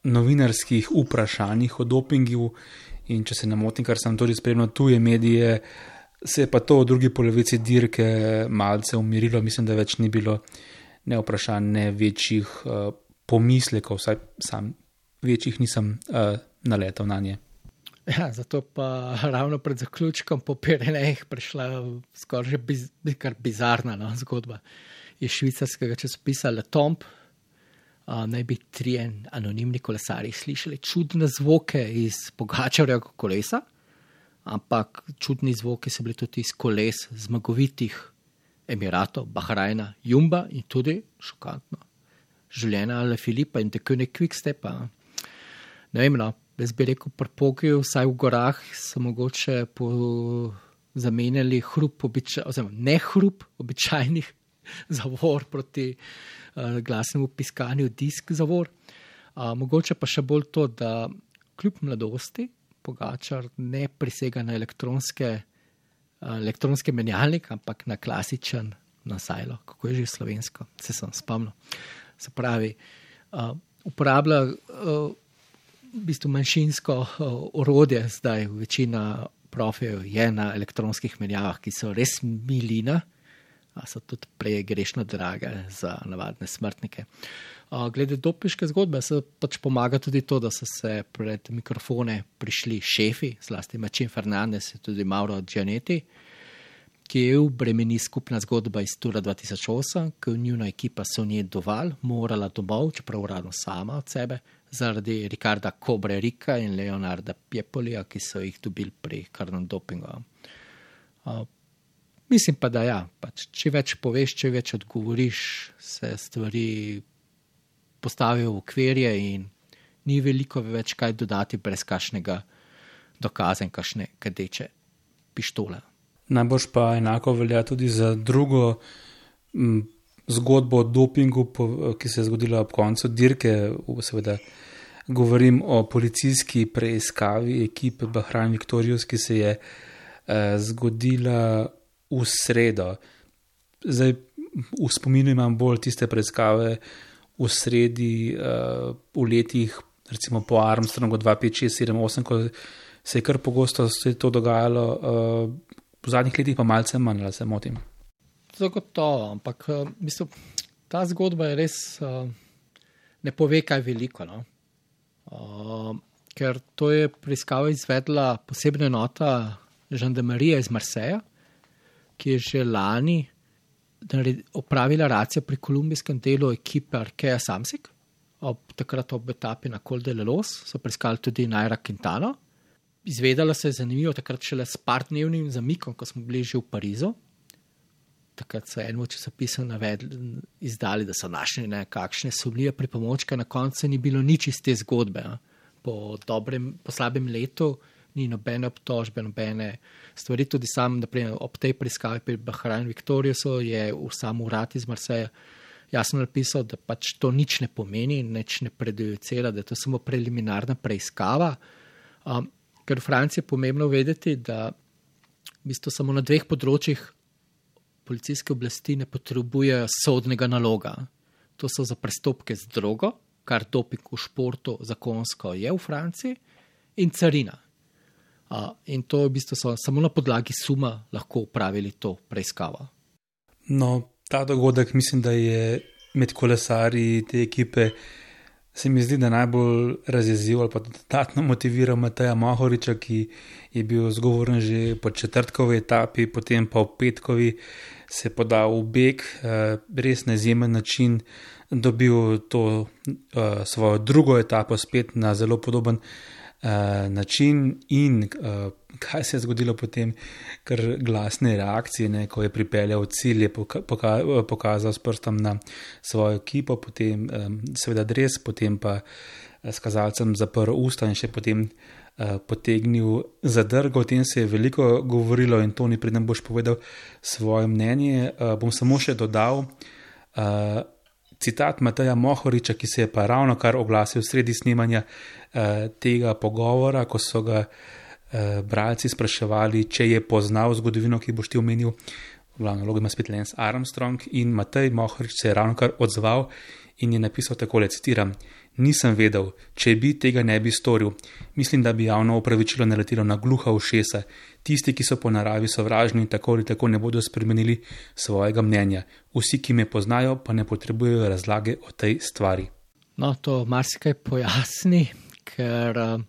novinarskih vprašanjih o dopingu in če se ne motim, kar sem tudi spremljal tuje medije, se je pa to v drugi polovici dirke malce umirilo, mislim, da več ni bilo ne vprašanj, ne večjih uh, pomislekov, vsaj sam večjih nisem uh, naletel na nje. Ja, zato pa ravno pred zaključkom po Pirenejih prišla skoraj že biz, kar bizarna no, zgodba. Iz švicarskega časopisa Le Temps uh, naj bi trije anonimni kolesarji slišali čudne zvoke iz Pogačarjevega kolesa, ampak čudni zvoki so bili tudi iz koles zmagovitih Emiratov, Bahrajna, Jumba in tudi, šokantno, življenja Alaphilippa in De Koning Quickstepa. Ne vem, no, jaz bi rekel, pri Pogaju, vsaj v gorah, so mogoče po zamenjali hrup, običaj, oziroma ne hrup običajnih zavor proti uh, glasnemu piskanju disk zavor. Uh, mogoče pa še bolj to, da kljub mladosti Pogačar ne prisega na elektronske, uh, elektronske menjalnik, ampak na klasičen na sajlo, kako je že slovensko, se sem spomnil. Se pravi, uh, uporablja uh, v bistvu manjšinsko uh, orodje, zdaj večina profijev je na elektronskih menjavah, ki so res milina, a so tudi prej grešno drage za navadne smrtnike. Uh, glede dopinške zgodbe se pač pomaga tudi to, da so se pred mikrofone prišli šefi, zlasti Marcin Fernandez in tudi Mauro Gianetti, ki je bremeni skupna zgodba iz Tura dva tisoč osem, ki je njuna ekipa Sonje Doval morala domov, čeprav uradno sama od sebe, zaradi Ricarda Cobrerica in Leonarda Piepolija, ki so jih dobili pri krvnem dopingu. Uh, mislim pa, da ja, pač, če več poveš, če več odgovoriš, se stvari postavijo v okvirje in ni veliko več kaj dodati brez kakšnega dokaza in kakšne kadeče pištole. Najbolj pa enako velja tudi za drugo m, zgodbo o dopingu, po, ki se je zgodila ob koncu dirke. Seveda govorim o policijski preiskavi ekipe Bahrain Victorious, ki se je eh, zgodila v sredo. Zdaj v spominu imam bolj tiste preiskave v sredi eh, v letih, recimo po Armstrongu dva pet šest sedem osem, ko se je kar pogosto se to dogajalo. Eh, V zadnjih letih pa malce manj, ali se motim. Zagotovo, ampak mislim, ta zgodba je res uh, ne pove kaj veliko. No? Uh, ker to je preiskavo izvedla posebna enota žandarmerije iz Marseja, ki je že lani opravila racijo pri kolumbijskem delu ekipe Arkea Samsic. Ob, takrat ob etapi na Col de Lelos so preiskali tudi Naira Quintano. Izvedela se je zanimivo, takrat šele s partdnevnim zamikom, ko smo bili že v Parizu. Takrat so enemu časopisu navedli, izdali, da so našli nekakšne sumljive pripomočke, na koncu ni bilo nič iz te zgodbe. A. Po dobrem, po slabem letu ni nobene obtožbe, nobene stvari. Tudi sam, naprimer, ob tej preiskavi pri Bahrain Victoriousu je v sam urad iz Marseja jasno napisal, da pač to nič ne pomeni, nič ne predujecira, da je to samo preliminarna preiskava. Um, Ker v Franciji je pomembno vedeti, da v bistvu samo na dveh področjih policijske oblasti ne potrebujejo sodnega naloga. To so za prestopke z drogo, kar doping v športu zakonsko je v Franciji, in carina. A, in to v bistvu so samo na podlagi suma lahko upravili to preiskavo. No, ta dogodek mislim, da je med kolesarji te ekipe se mi zdi, da najbolj razjezil ali pa dodatno motiviral Mateja Mohoriča, ki je bil zgovoren že po četrtkovi etapi, potem pa v petkovi se je podal v beg, res na izjemen način dobil to svojo drugo etapo spet na zelo podoben način in kaj se je zgodilo potem, kar glasne reakcije, ne, ko je pripeljal cilj, je poka pokazal s prstom na svojo ekipo, potem seveda dres, potem pa s kazalcem zaprl usta in še potem potegnil zadrgo. O tem se je veliko govorilo in Toni, preden boš povedal svoje mnenje, bom samo še dodal citat Mateja Mohoriča, ki se je pa ravno kar oglasil sredi snemanja tega pogovora, ko so ga bralci spraševali, če je poznal zgodovino, ki boš ti omenil. V glavnem vlogi ima spet Lance Armstrong in Matej Mohorič se je ravno kar odzval in je napisal takole, citiram: "Nisem vedel, če bi tega ne bi storil. Mislim, da bi javno opravičilo naletelo na gluha ušesa. Tisti, ki so po naravi sovražni in tako ali tako ne bodo spremenili svojega mnenja. Vsi, ki me poznajo, pa ne potrebujejo razlage o tej stvari." No, to marsikaj pojasni, ker uh,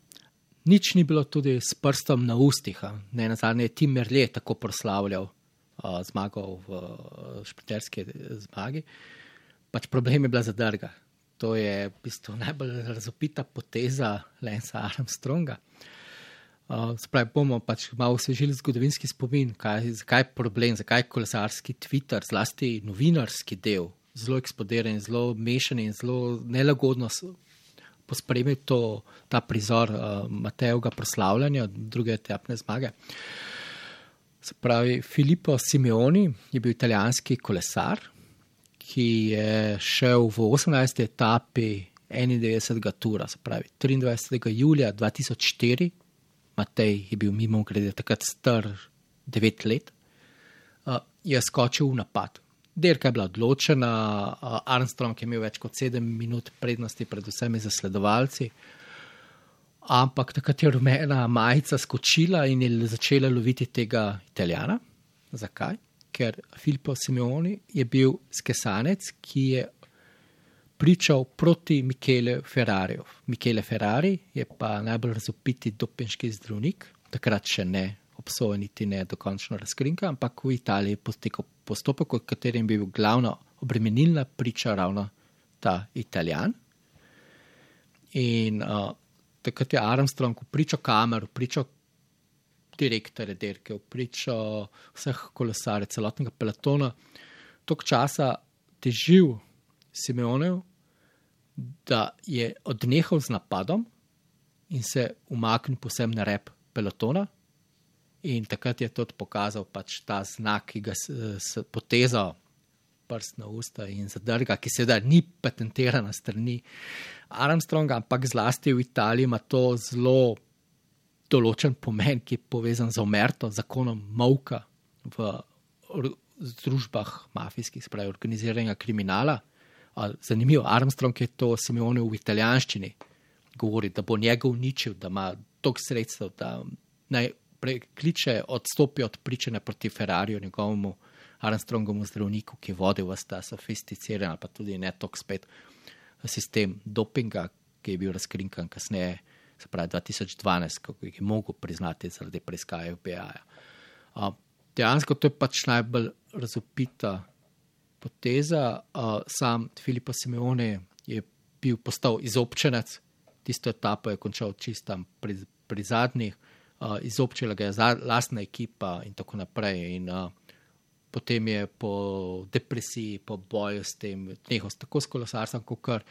nič ni bilo tudi s prstom na ustih. Ne nazadnje je Tim Merlier tako proslavljal uh, zmago v uh, šprinterski zmagi. Pač problem je bila zadrga. To je v bistvu najbolj razopita poteza Lanca Armstronga. Uh, Spravi, bomo pač malo osvežili zgodovinski spomin, kaj, zakaj je problem, zakaj je kolesarski Twitter, zlasti novinarski del, zelo eksplodiran, zelo mešan in zelo nelagodno pospremil to, ta prizor uh, Matejevega proslavljanja druge etapne zmage. Se pravi, Filippo Simeoni je bil italijanski kolesar, ki je šel v osemnajsti etapi enaindevetdesetega tura, se pravi triindvajsetega julija dva tisoč štiri, Matej je bil mimo grede takrat star devet let, uh, je skočil v napad. Dirka je bila odločena, Armstrong je imel več kot sedem minut prednosti pred vsemi zasledovalci, ampak takrat je rumena majica skočila in je začela loviti tega Italijana. Zakaj? Ker Filippo Simeoni je bil skesanec, ki je pričal proti Michele Ferrariju. Michele Ferrari je pa najbolj razvpiti dopinški zdravnik, takrat še ne obsojen niti ne dokončno razkrinka, ampak v Italiji potekal postopek, v katerem bi bil glavna obremenilna priča ravno ta Italijan. In uh, takrat je Armstrong pričal kameru, pričal direktore dirke, pričal vseh kolesarjev, celotnega pelotona, toliko časa težil Simeonev, da je odnehal z napadom in se umaknil posem na rep pelotona. In takrat je tudi pokazal pač ta znak, ki ga s potezal prst na usta in zadrga, ki seveda ni patentirana strani Armstronga, ampak zlasti v Italiji ima to zelo določen pomen, ki je povezan z omerto, zakonom molka v združbah mafijskih, spravi organiziranega kriminala. Zanimivo, Armstrong je to Simeone v italijanščini govori, da bo njega uničil, da ima toliko sredstev, da naj prekliče, odstopi od pričanja proti Ferrariju, njegovemu Armstrongovemu zdravniku, ki je vodil vas ta sofisticiran, pa tudi ne toliko spet sistem dopinga, ki je bil razkrinkan kasneje, se pravi dva tisoč dvanajst, ko je mogel priznati zaradi preiskave F B I-ja. Dejansko to je pač najbolj razvpita poteza. Sam Filippo Simeone je bil postal izobčenec, tisto etapo je končal čistam pri, pri zadnjih, Uh, izobčila ga je lastna ekipa in tako naprej. In uh, potem je po depresiji, po boju s tem, nehal tako s kolesarstvom, kot kar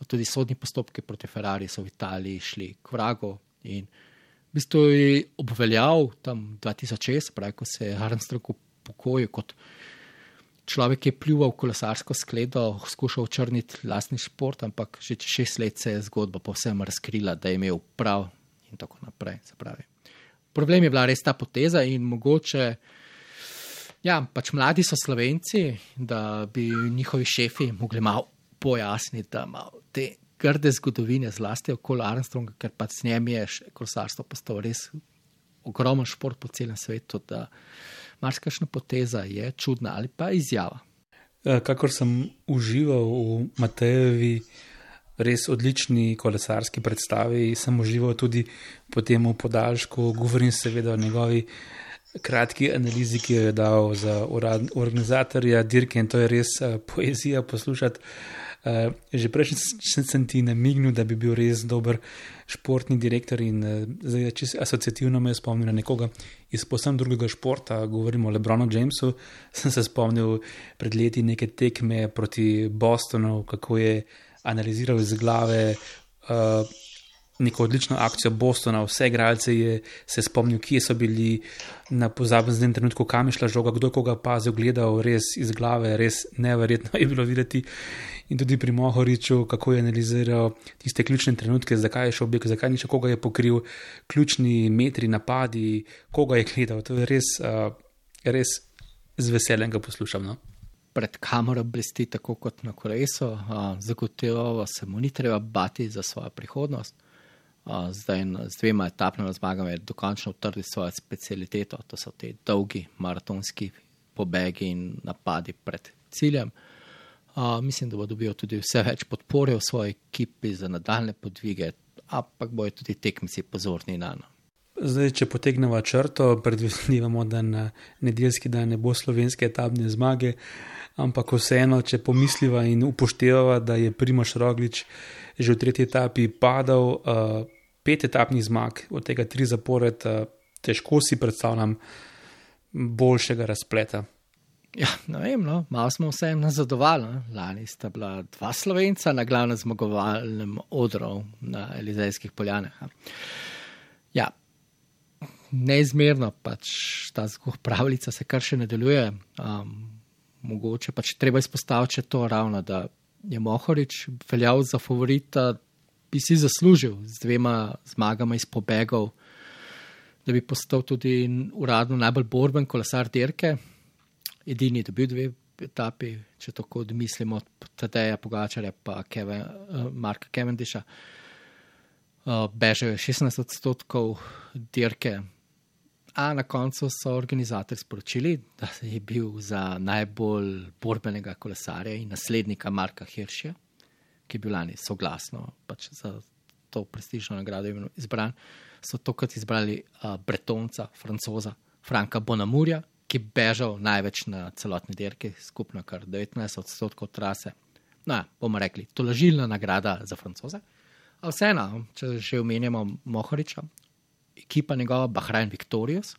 tudi sodni postopki proti Ferrari so v Italiji šli k vragu. In v bistvu je obveljal tam dva tisoč šest, pravi, ko se je Armstrong upokojil kot človek, ki je pljuval kolesarsko skledo, skušal očrniti lastni šport, ampak že čez šest let se je zgodba povsem razkrila, da je imel prav in tako naprej, se pravi. Problem je bila res ta poteza in mogoče, ja, pač mladi so Slovenci, da bi njihovi šefi mogli malo pojasniti, da malo te grde zgodovine zlasti okoli Armstronga, ker pač s njem je kolesarstvo postalo res ogromen šport po celem svetu, da marsikakšna poteza je čudna ali pa izjava. Kakor sem užival v Matejevi res odlični kolesarski predstavi, sem užival tudi po tem podaljšku, govorim seveda o njegovi kratki analizi, ki jo je dal za organizatorja dirke in to je res uh, poezija poslušati. Uh, že prejšnji sem ti namignil, da bi bil res dober športni direktor in uh, zdaj čisto asociativno me je spomnil na nekoga iz posebno drugega športa, govorimo o LeBronu Jamesu, sem se spomnil pred leti neke tekme proti Bostonu, kako je analiziral iz glave uh, neko odlično akcijo Bostona, vse igralce je se spomnil, kje so bili na pozabnem trenutku, kam je šla žoga, kdo je koga pazil, gledal res iz glave, res neverjetno je bilo videti. In tudi pri Mohoriču, kako je analiziral tiste ključne trenutke, zakaj je šel beg, zakaj ni še koga je pokril, ključni metri, napadi, koga je gledal. To je res, uh, res z veseljem ga poslušam, no? Pred kamero blesti tako kot na kolesu, zagotovo se mu ni treba bati za svojo prihodnost. A, zdaj z dvema etapnima zmagama je dokončno utrdil svojo specialiteto, to so te dolgi maratonski pobegi in napadi pred ciljem. A, mislim, da bo dobil tudi vse več podpore v svoji ekipi za nadaljne podvige, ampak bojo tudi tekmici pozorni na njo. Zdaj, če potegnemo črto, predvidevamo, da na nedeljski dan ne bo slovenske etapne zmage, ampak vseeno, če pomisliva in upoštevava, da je Primož Roglič že v tretji etapi padal, uh, pet etapnih zmag, od tega tri zapored, uh, težko si predstavljam boljšega razpleta. Ja, ne vem, no, malo smo vsem nazadovali. Lani sta bila dva Slovenca na glavnem zmagovalnem odru na Elizejskih poljanah. Ja, neizmerno pač ta pravljica se kar še nadaljuje. Um, mogoče pač treba izpostaviti še to ravno, da je Mohorič veljal za favorita, bi si zaslužil z dvema zmagama iz pobegov, da bi postal tudi uradno najbolj borben kolesar dirke. Edini je dobil dve etapi, če tako odmislimo od Tadeja Pogačarja pa Kevin, uh, Marka Cavendisha, uh, bežal je šestnajst odstotkov dirke, a na koncu so organizatorji sporočili, da je bil za najbolj borbenega kolesarja in naslednika Marka Hirschja, ki je bil lani soglasno pač za to prestižno nagrado izbran, so tokrat izbrali uh, Bretonca, Francoza, Franka Bonamurja, ki je bežal največ na celotni dirki, skupno kar devetnajst odstotkov trase. No, bomo rekli, tolažilna nagrada za Francoze. A vseeno, če že omenjamo Mohoriča, ekipa njegova Bahrain Victorious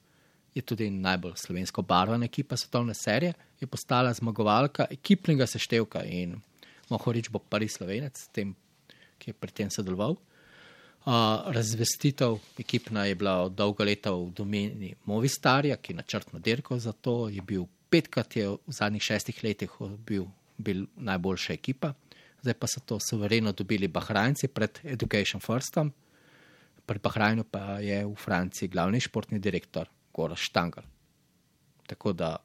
je tudi najbolj slovensko barvana ekipa svetovne serije, je postala zmagovalka ekipnega seštevka in Mohorič bo prvi Slovenec, tem, ki je pri tem sodeloval. Uh, razvestitev ekipna je bila dolga leta v domeni Movistarja, ki je načrtno dirkal za to, je bil petkrat je v zadnjih šestih letih bil, bil najboljša ekipa, zdaj pa so to suvereno dobili Bahrajnci pred Education Firstom, pri Bahrajnu pa je v Franciji glavni športni direktor Gorazd Štangelj. Tako da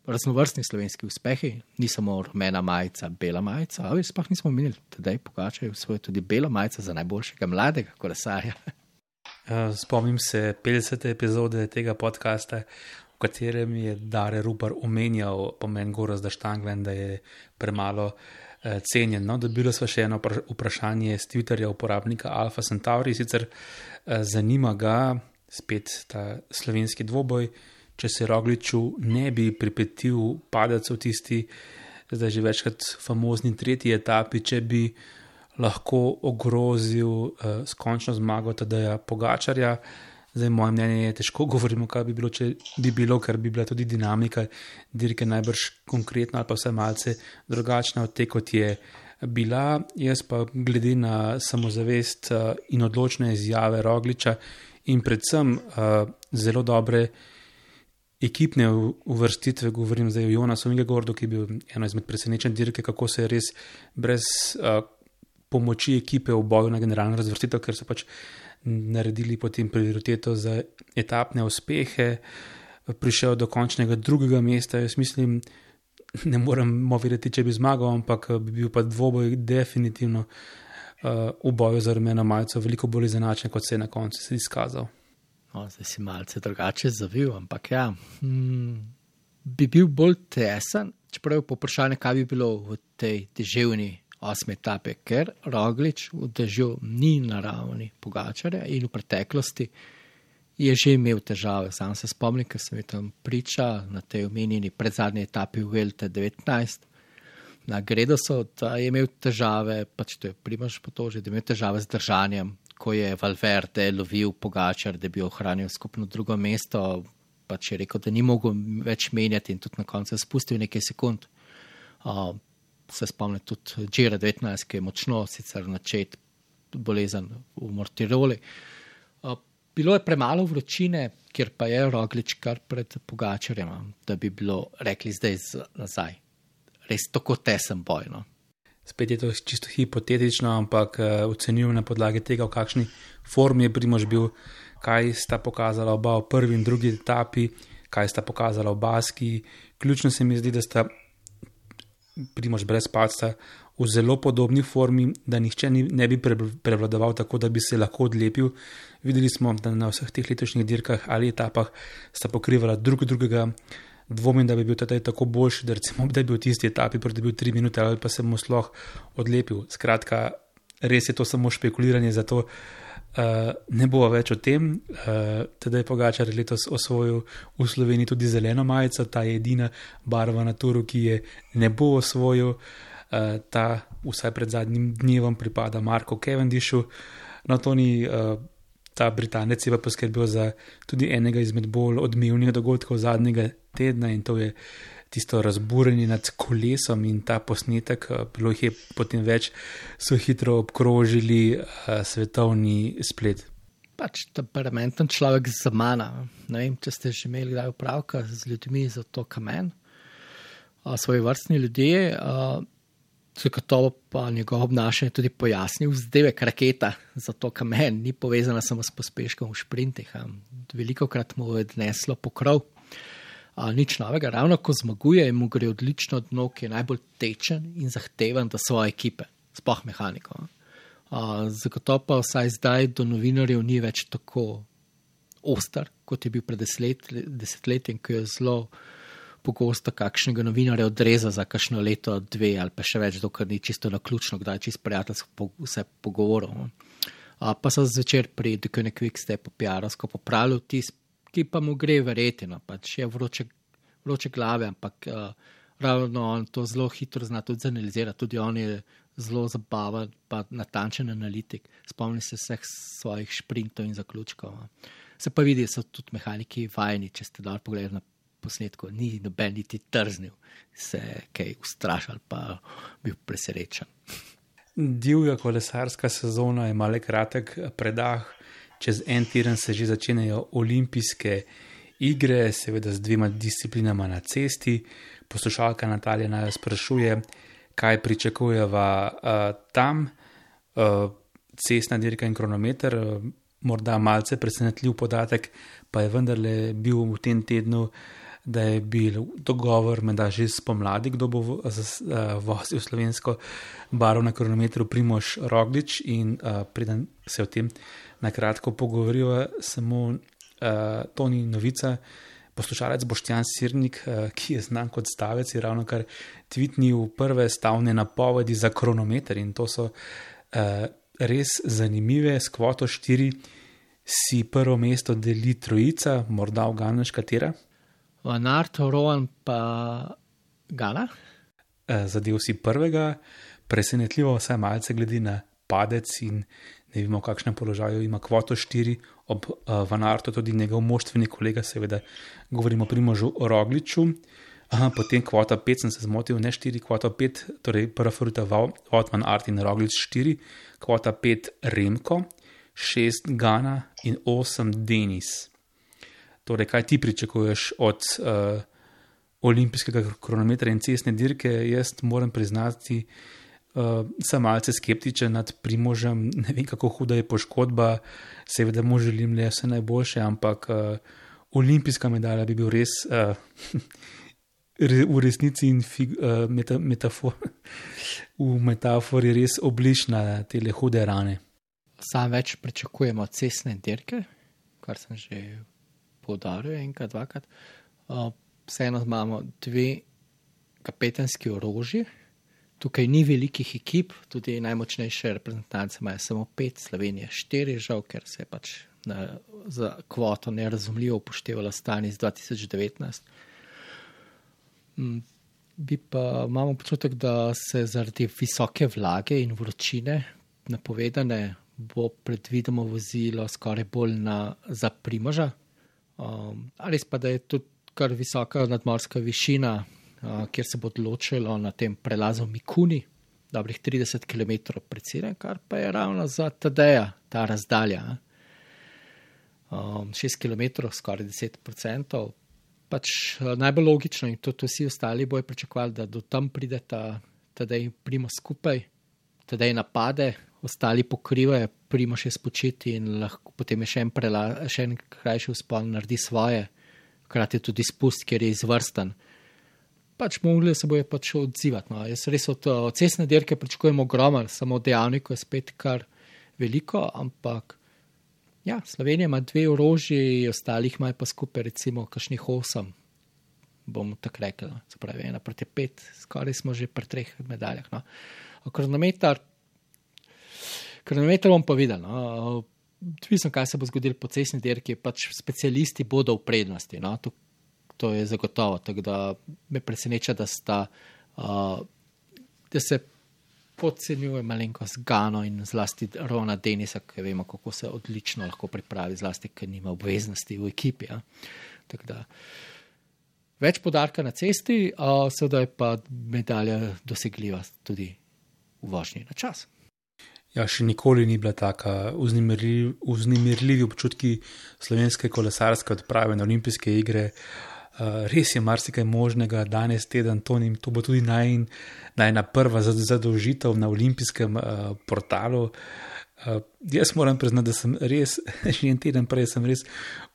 raznovrstni slovenski uspehi, ni samo rumena majica, bela majica, ali sploh nismo menili, Tadej Pogačar je osvojil tudi bela majica za najboljšega mladega kolesarja. Spomnim se petdesete epizode tega podcasta, v katerem je Dare Rupar omenjal pomen Gorazda Štanglja, da je premalo cenjen. No, dobili smo še eno vprašanje z Twitterja uporabnika Alfa Centauri, sicer zanima ga spet ta slovenski dvoboj, če se Rogliču ne bi pripetil padec v tisti, zdaj že večkrat famozni tretji etapi, če bi lahko ogrozil uh, s končno zmago Tadeja Pogačarja. Zdaj, moje mnenje je, težko govorimo, kaj bi bilo, če bi bilo, ker bi bila tudi dinamika dirke najbrž konkretno ali pa vse malce drugačna od te, kot je bila. Jaz pa glede na samozavest uh, in odločne izjave Rogliča in predvsem uh, zelo dobre ekipne uvrstitve, govorim zdaj o Jonasu Vingegaardu, ki je bil eno izmed presenečenj dirke, kako se je res brez uh, pomoči ekipe v boju na generalno razvrstitev, ker so pač naredili potem prioriteto za etapne uspehe, prišel do končnega drugega mesta. Jaz mislim, ne moremo vedeti, če bi zmagal, ampak bi bil pa dvoboj definitivno uh, v boju za rumeno majico veliko bolj izenačen, kot se je na koncu se izkazal. No, zdaj si malce drugače zavil, ampak ja, hmm, bi bil bolj tesen, čeprav je poprašanje, kaj bi bilo v tej deževni osmi etapi, ker Roglič v dežju ni na ravni Pogačarja in v preteklosti je že imel težave. Sam se spomnim, ker sem tam priča na tej omenjeni predzadnji etapi v Vuelte devetnajst na Gredosu, da je imel težave, pač to je Primož potožil, da je imel težave z držanjem, ko je Valverde lovil Pogačar, da bi ohranil skupno drugo mesto, pač je rekel, da ni mogel več menjati in tudi na koncu je spustil nekaj sekund. Uh, se spomnim tudi Giro devetnajst, ki je močno sicer načet bolezen v Mortiroli. Uh, bilo je premalo vročine, kjer pa je Roglič kar pred Pogačarjem, da bi bilo rekli zdaj z, nazaj. Res tako tesen boj, no. Spet je to čisto hipotetično, ampak uh, ocenjujem na podlagi tega, v kakšni formi je Primož bil, kaj sta pokazala oba v prvi in drugi etapi, kaj sta pokazala v Baski. Ključno se mi zdi, da sta Primož brez padca v zelo podobni formi, da nihče ni, ne bi prevladoval tako, da bi se lahko odlepil. Videli smo, da na vseh teh letošnjih dirkah ali etapah sta pokrivala drug drugega. Dvomim, da bi bil Tadej tako boljši, da recimo, da bi bil v tisti etapi pridobil tri minute ali pa se mu sploh odlepil. Skratka, res je to samo špekuliranje, zato uh, ne bo več o tem. Uh, Tadej Pogačar je letos osvojil v Sloveniji tudi zeleno majico, ta je edina barva na turu, ki je ne bo osvojil. Uh, ta vsaj pred zadnjim dnevom pripada Marku Cavendishu. No, to ni... Uh, Ta Britanec je pa poskrbel za tudi enega izmed bolj odmevnih dogodkov zadnjega tedna in to je tisto razburjenje nad kolesom in ta posnetek, bilo jih je potem več, so hitro obkrožili uh, svetovni splet. Pač temperamenten človek za mana. Ne vem, če ste že imeli kdaj opravka z ljudmi za to kamen. Uh, svoji vrstni ljudje, uh, Zagotovo pa njegov obnašanje tudi pojasnil vzdevek raketa, zato kamen ni povezana samo s pospeškom v šprintih. Veliko krat mu je odneslo pokrov. A, nič novega, ravno ko zmaguje, mu gre odlično dno, ki je najbolj tečen in zahteven do svoje ekipe, sploh mehaniko. A, zagotovo pa vsaj zdaj do novinarjev ni več tako oster, kot je bil pred deset, desetletjem, ki je zelo pogosto kakšnega novinarja odreza za kakšno leto, dve ali pa še več, dokler ni čisto naključno, kdaj je čisto prijateljsko vse pogovoril. A, pa so zvečer pri The Koenig Quick-Step piarovsko popravil tis, ki pa mu gre verjeti, no, pač je vroče, vroče glave, ampak uh, ravno on to zelo hitro zna tudi zanalizirati, tudi on je zelo zabaven, pa natančen analitik, spomni se vseh svojih šprintov in zaključkov. Se pa vidi, so tudi mehaniki vajeni, če ste dal pogledali na posnetku, ni noben niti trznil, se kaj ustrašal, pa bil presrečen. Divja kolesarska sezona ima le kratek predah, čez en teden se že začenjajo olimpijske igre, seveda z dvema disciplinama na cesti. Poslušalka Natalija naj sprašuje, kaj pričakujeva uh, tam, uh, cestna dirka in kronometer, uh, morda malce presenetljiv podatek, pa je vendarle bil v tem tednu, da je bil dogovor med že spomladi, kdo bo uh, vozil slovensko barvo na kronometru, Primož Roglič, in uh, preden se o tem na kratko pogovoriva, samo uh, to ni novica. Poslušalec Boštjan Sirnik, uh, ki je znan kot stavec, je ravno kar tweetnil prve stavne napovedi za kronometer in to so uh, res zanimive. S kvoto štiri si prvo mesto deli trojica, morda uganeš katera? Van Aert, Rowan pa Gana? Uh, zadev si prvega, presenetljivo vsaj malce glede na padec in ne vemo, v kakšnem položaju ima kvoto štiri, ob uh, Van Aertu tudi njegov moštveni kolega, seveda govorimo o Primožu Rogliču. Aha, potem kvota pet, sem se zmotil, ne štiri, kvota pet, torej prva favorita Wout van Aert in Roglič štiri, kvota pet Remko, šest Gana in osem Denis. Torej, kaj ti pričakuješ od uh, olimpijskega kronometra in cestne dirke? Jaz moram priznati, Uh, sem malce skeptičen nad Primožem, ne vem, kako huda je poškodba, seveda mu želim le vse najboljše, ampak uh, olimpijska medalja bi bil res uh, v resnici in fig, uh, meta, metafor, v metafori res obliž na tele hude rane. Sam več pričakujemo cestne dirke, kar sem že poudaril enkrat, dvakrat. Uh, vseeno imamo dve kapetanski orožji. Tukaj ni velikih ekip, tudi najmočnejše reprezentance imajo samo pet, Slovenija štiri, žal, ker se je pač na, za kvoto nerazumljivo upoštevala stanje iz dva tisoč devetnajst. Bi pa imamo občutek, da se zaradi visoke vlage in vročine napovedane bo predvideno vozilo skoraj bolj na, za Primoža. Um, res pa, da je tudi kar visoka nadmorska višina, Uh, kjer se bo odločilo na tem prelazu Mikuni, dobrih trideset kilometrov pred ciljem, kar pa je ravno za Tadeja ta razdalja. Um, šest kilometrov, skoraj deset procentov. Pač uh, najbolj logično in tudi vsi ostali bojo pričakovali, da do tam pride ta Tadej Primož skupaj, Tadej napade, ostali pokrivajo, Primož je spočiti in lahko potem je še en, prela, še en krajši vzpon, naredi svoje, hkrati tudi spust, ker je izvrsten. Pač mogli se bojo pač odzivati. No. Jaz res od, od cestne dirke pričakujem ogromno, samo dejavnikov je spet kar veliko, ampak ja, Slovenija ima dve orožji, ostalih ima pa skupaj recimo kakšnih osem, bomo tako rekli, no. Se pravi ena proti pet, skoraj smo že pri treh medaljah. No. Kronometer, kronometer bom pa videl, no. Mislim, kaj se bo zgodilo po cestni dirki, pač specialisti bodo v prednosti, no. To, To je zagotovo, tako da me preseneča, da sta, uh, da se podcenjuje malenkost Gano in zlasti Rona Denisa, ki vemo, kako se odlično lahko pripravi, zlasti, ker nima obveznosti v ekipi. Ja. Tako da več poudarka na cesti, uh, seveda je pa medalja dosegljiva tudi v vožnji na čas. Ja, še nikoli ni bila taka vznemirljiv, vznemirljivi občutki slovenske kolesarske odprave na olimpijske igre. Uh, res je marsikaj možnega, danes teden, to, ni, to bo tudi naj, najna prva zadolžitev na olimpijskem uh, portalu. Uh, jaz moram priznati, da sem res, še en teden prej sem res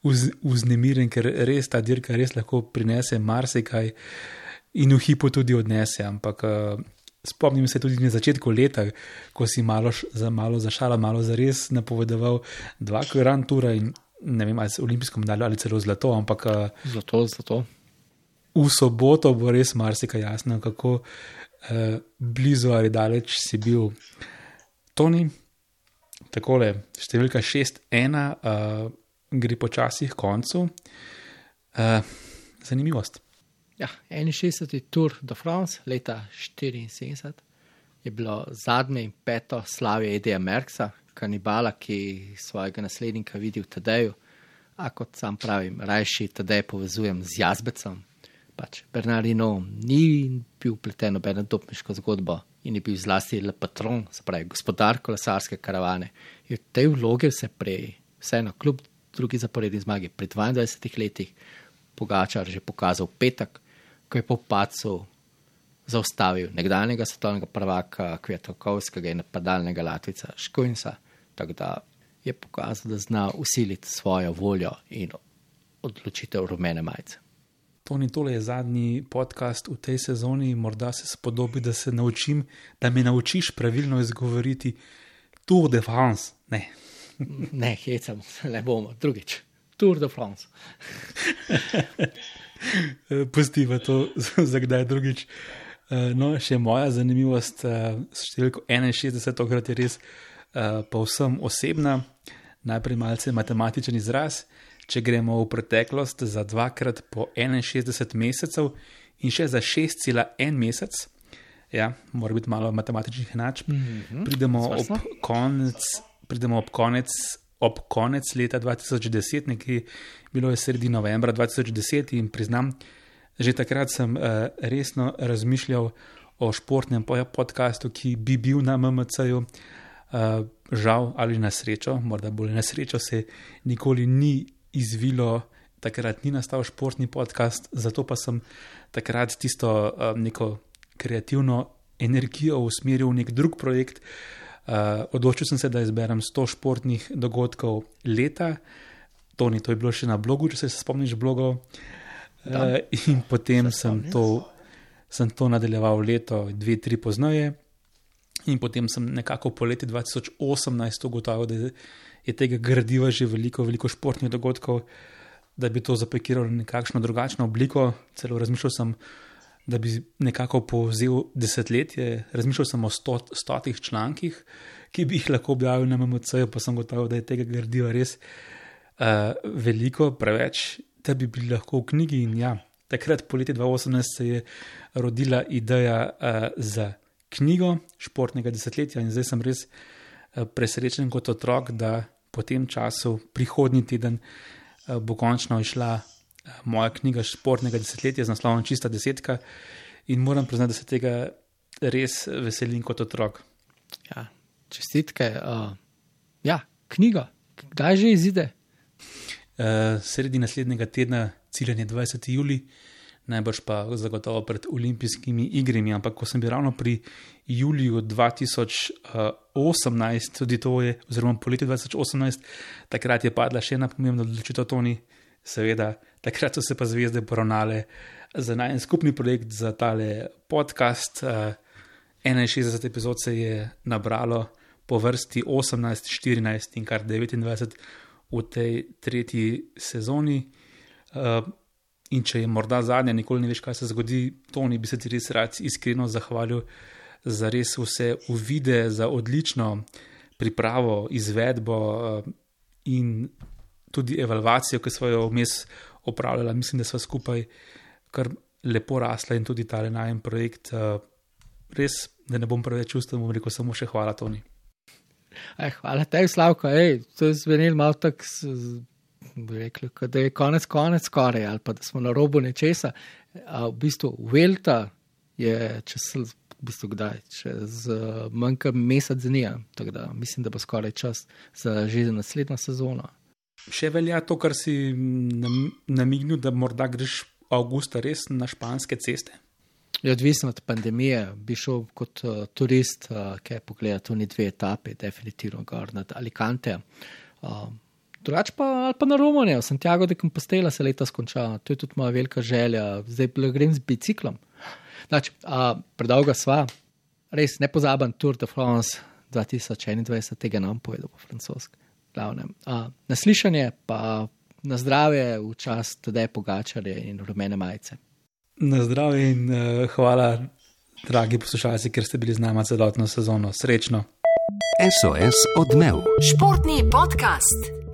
uz, uznemiren, ker res ta dirka res lahko prinese marsikaj in v hipu tudi odnese, ampak uh, spomnim se tudi na začetku leta, ko si malo, za, malo za šalo, malo za res napovedoval dva Grand Toura in ne vem, ali se olimpijsko medaljo ali celo zlato, ampak uh, Zlato, zlato. V soboto bo res marsikaj jasno, kako uh, blizu ali daleč si bil. Toni, takole, številka šest ena, uh, gre počasi k koncu. Uh, zanimivost. Ja, enainšestdeseti Tour de France leta štiriinsedemdeset je bilo zadnje in peto slavje Edija Merckxa, kanibala, ki svojega naslednika vidi v Tadeju, a kot sam pravim, rajši Tadej povezujem z Jazbecom. Pač Bernard Hinault ni bil vpleten v nobeno dopinško zgodbo in je bil zlasti le patron, se pravi gospodar kolesarske karavane. In v tej vlogi se prej, vseeno kljub drugi zaporedni zmagi, pri dvaindvajsetih letih Pogačar že pokazal petek, ko je po padcu zaustavil nekdanjega svetovnega prvaka Kwiatkowskiego in napadalnega Latvica Škojnsa, tako da je pokazal, da zna usiliti svojo voljo in odločitev rumene majice. Toni, tole je zadnji podcast v tej sezoni, morda se spodobi, da se naučim, da me naučiš pravilno izgovoriti Tour de France. Ne, ne hecam, ne bomo, drugič. Tour de France. Pustiva to za kdaj drugič. No, še moja zanimivost s številko enainšestdeset, tokrat je res povsem osebna, najprej malce matematičen izraz. Če gremo v preteklost za dvakrat po enainšestdeset mesecev in še za šest cela en mesec, ja, mora biti malo matematičnih enačb, mm-hmm. pridemo, ob konec, pridemo ob konec, ob konec leta dva tisoč deset, nekje bilo je sredi novembra dva tisoč deset in priznam, že takrat sem uh, resno razmišljal o športnem podcastu, ki bi bil na M M C-ju. Uh, žal ali na srečo, morda bolj na srečo se nikoli ni izvilo, takrat ni nastal športni podcast, zato pa sem takrat tisto uh, neko kreativno energijo usmeril v nek drug projekt. Uh, odločil sem se, da izberem sto športnih dogodkov leta. Toni, to je bilo še na blogu, če se spomniš blogov. Uh, in potem sem to, sem to nadaljeval leto, dve, tri pozneje. In potem sem nekako po leti dva tisoč osemnajst ugotovil, da je tega gradiva že veliko, veliko športnih dogodkov, da bi to zapakiral v nekakšno drugačno obliko. Celo razmišljal sem, da bi nekako povzel desetletje, razmišljal sem o sto, stotih člankih, ki bi jih lahko objavil na M M C-ju, pa sem gotovil, da je tega gradiva res uh, veliko, preveč, da bi bili lahko v knjigi. In ja, takrat po leti dva tisoč osemnajst se je rodila ideja uh, za knjigo športnega desetletja in zdaj sem res uh, presrečen kot otrok, da po tem času, prihodnji teden, uh, bo končno išla uh, moja knjiga športnega desetletja z naslovom Čista desetka in moram priznati, da se tega res veselim kot otrok. Ja, čestitke. Uh, ja, knjiga. Kdaj že izide? Uh, sredi naslednjega tedna, ciljen je dvajseti julij, najbrž pa zagotovo pred olimpijskimi igrami, ampak ko sem bil ravno pri juliju dva tisoč osemnajst, tudi to je, oziroma po letu dva tisoč osemnajst, takrat je padla še ena pomembna odločitev, Toni, seveda, takrat so se pa zvezde poravnale za najen skupni projekt, za tale podcast. Uh, enainšestdeset epizod se je nabralo po vrsti osemnajst, štirinajst in kar devetindvajset v tej tretji sezoni. Uh, in če je morda zadnja, nikoli ne veš, kaj se zgodi, Toni, bi se ti res rad iskreno zahvalil za res vse uvide, za odlično pripravo, izvedbo uh, in tudi evalvacijo, ki smo jo vmes opravljala. Mislim, da sva skupaj kar lepo rasla in tudi tale najen projekt. Uh, res, da ne bom preveč čustven, bom rekel samo še hvala, Toni. Ej, hvala tebi, Slavko. Ej, to je zvenil malo tak, bi rekel, da je konec konec skoraj, ali pa da smo na robu nečesa. A v bistvu Vuelta je čez, v bistvu kdaj, čez manjka mesec dni, tako da mislim, da bo skoraj čas za že za naslednjo sezono. Še velja to, kar si namignil, da morda greš avgusta res na španske ceste? Je odvisno od pandemije, bi šel kot uh, turist, uh, ki je pogledal tudi dve etapi, definitivno gor nad Alicante. Uh, drugač pa, ali pa na Romunijo, Santiago de Compostela se letos konča, to je tudi moja velika želja, zdaj grem z biciklom. Znači, uh, predolga sva, res nepozaben Tour de France dva tisoč enaindvajset, tega nam povedal po francoski. Glavnem. Uh, naslišanje pa na zdravje v čast Tadeja Pogačarja in rumene majice. Na zdravje in uh, hvala, dragi poslušalci, ker ste bili z nama celotno sezono. Srečno. S O S Odmev. Športni podcast.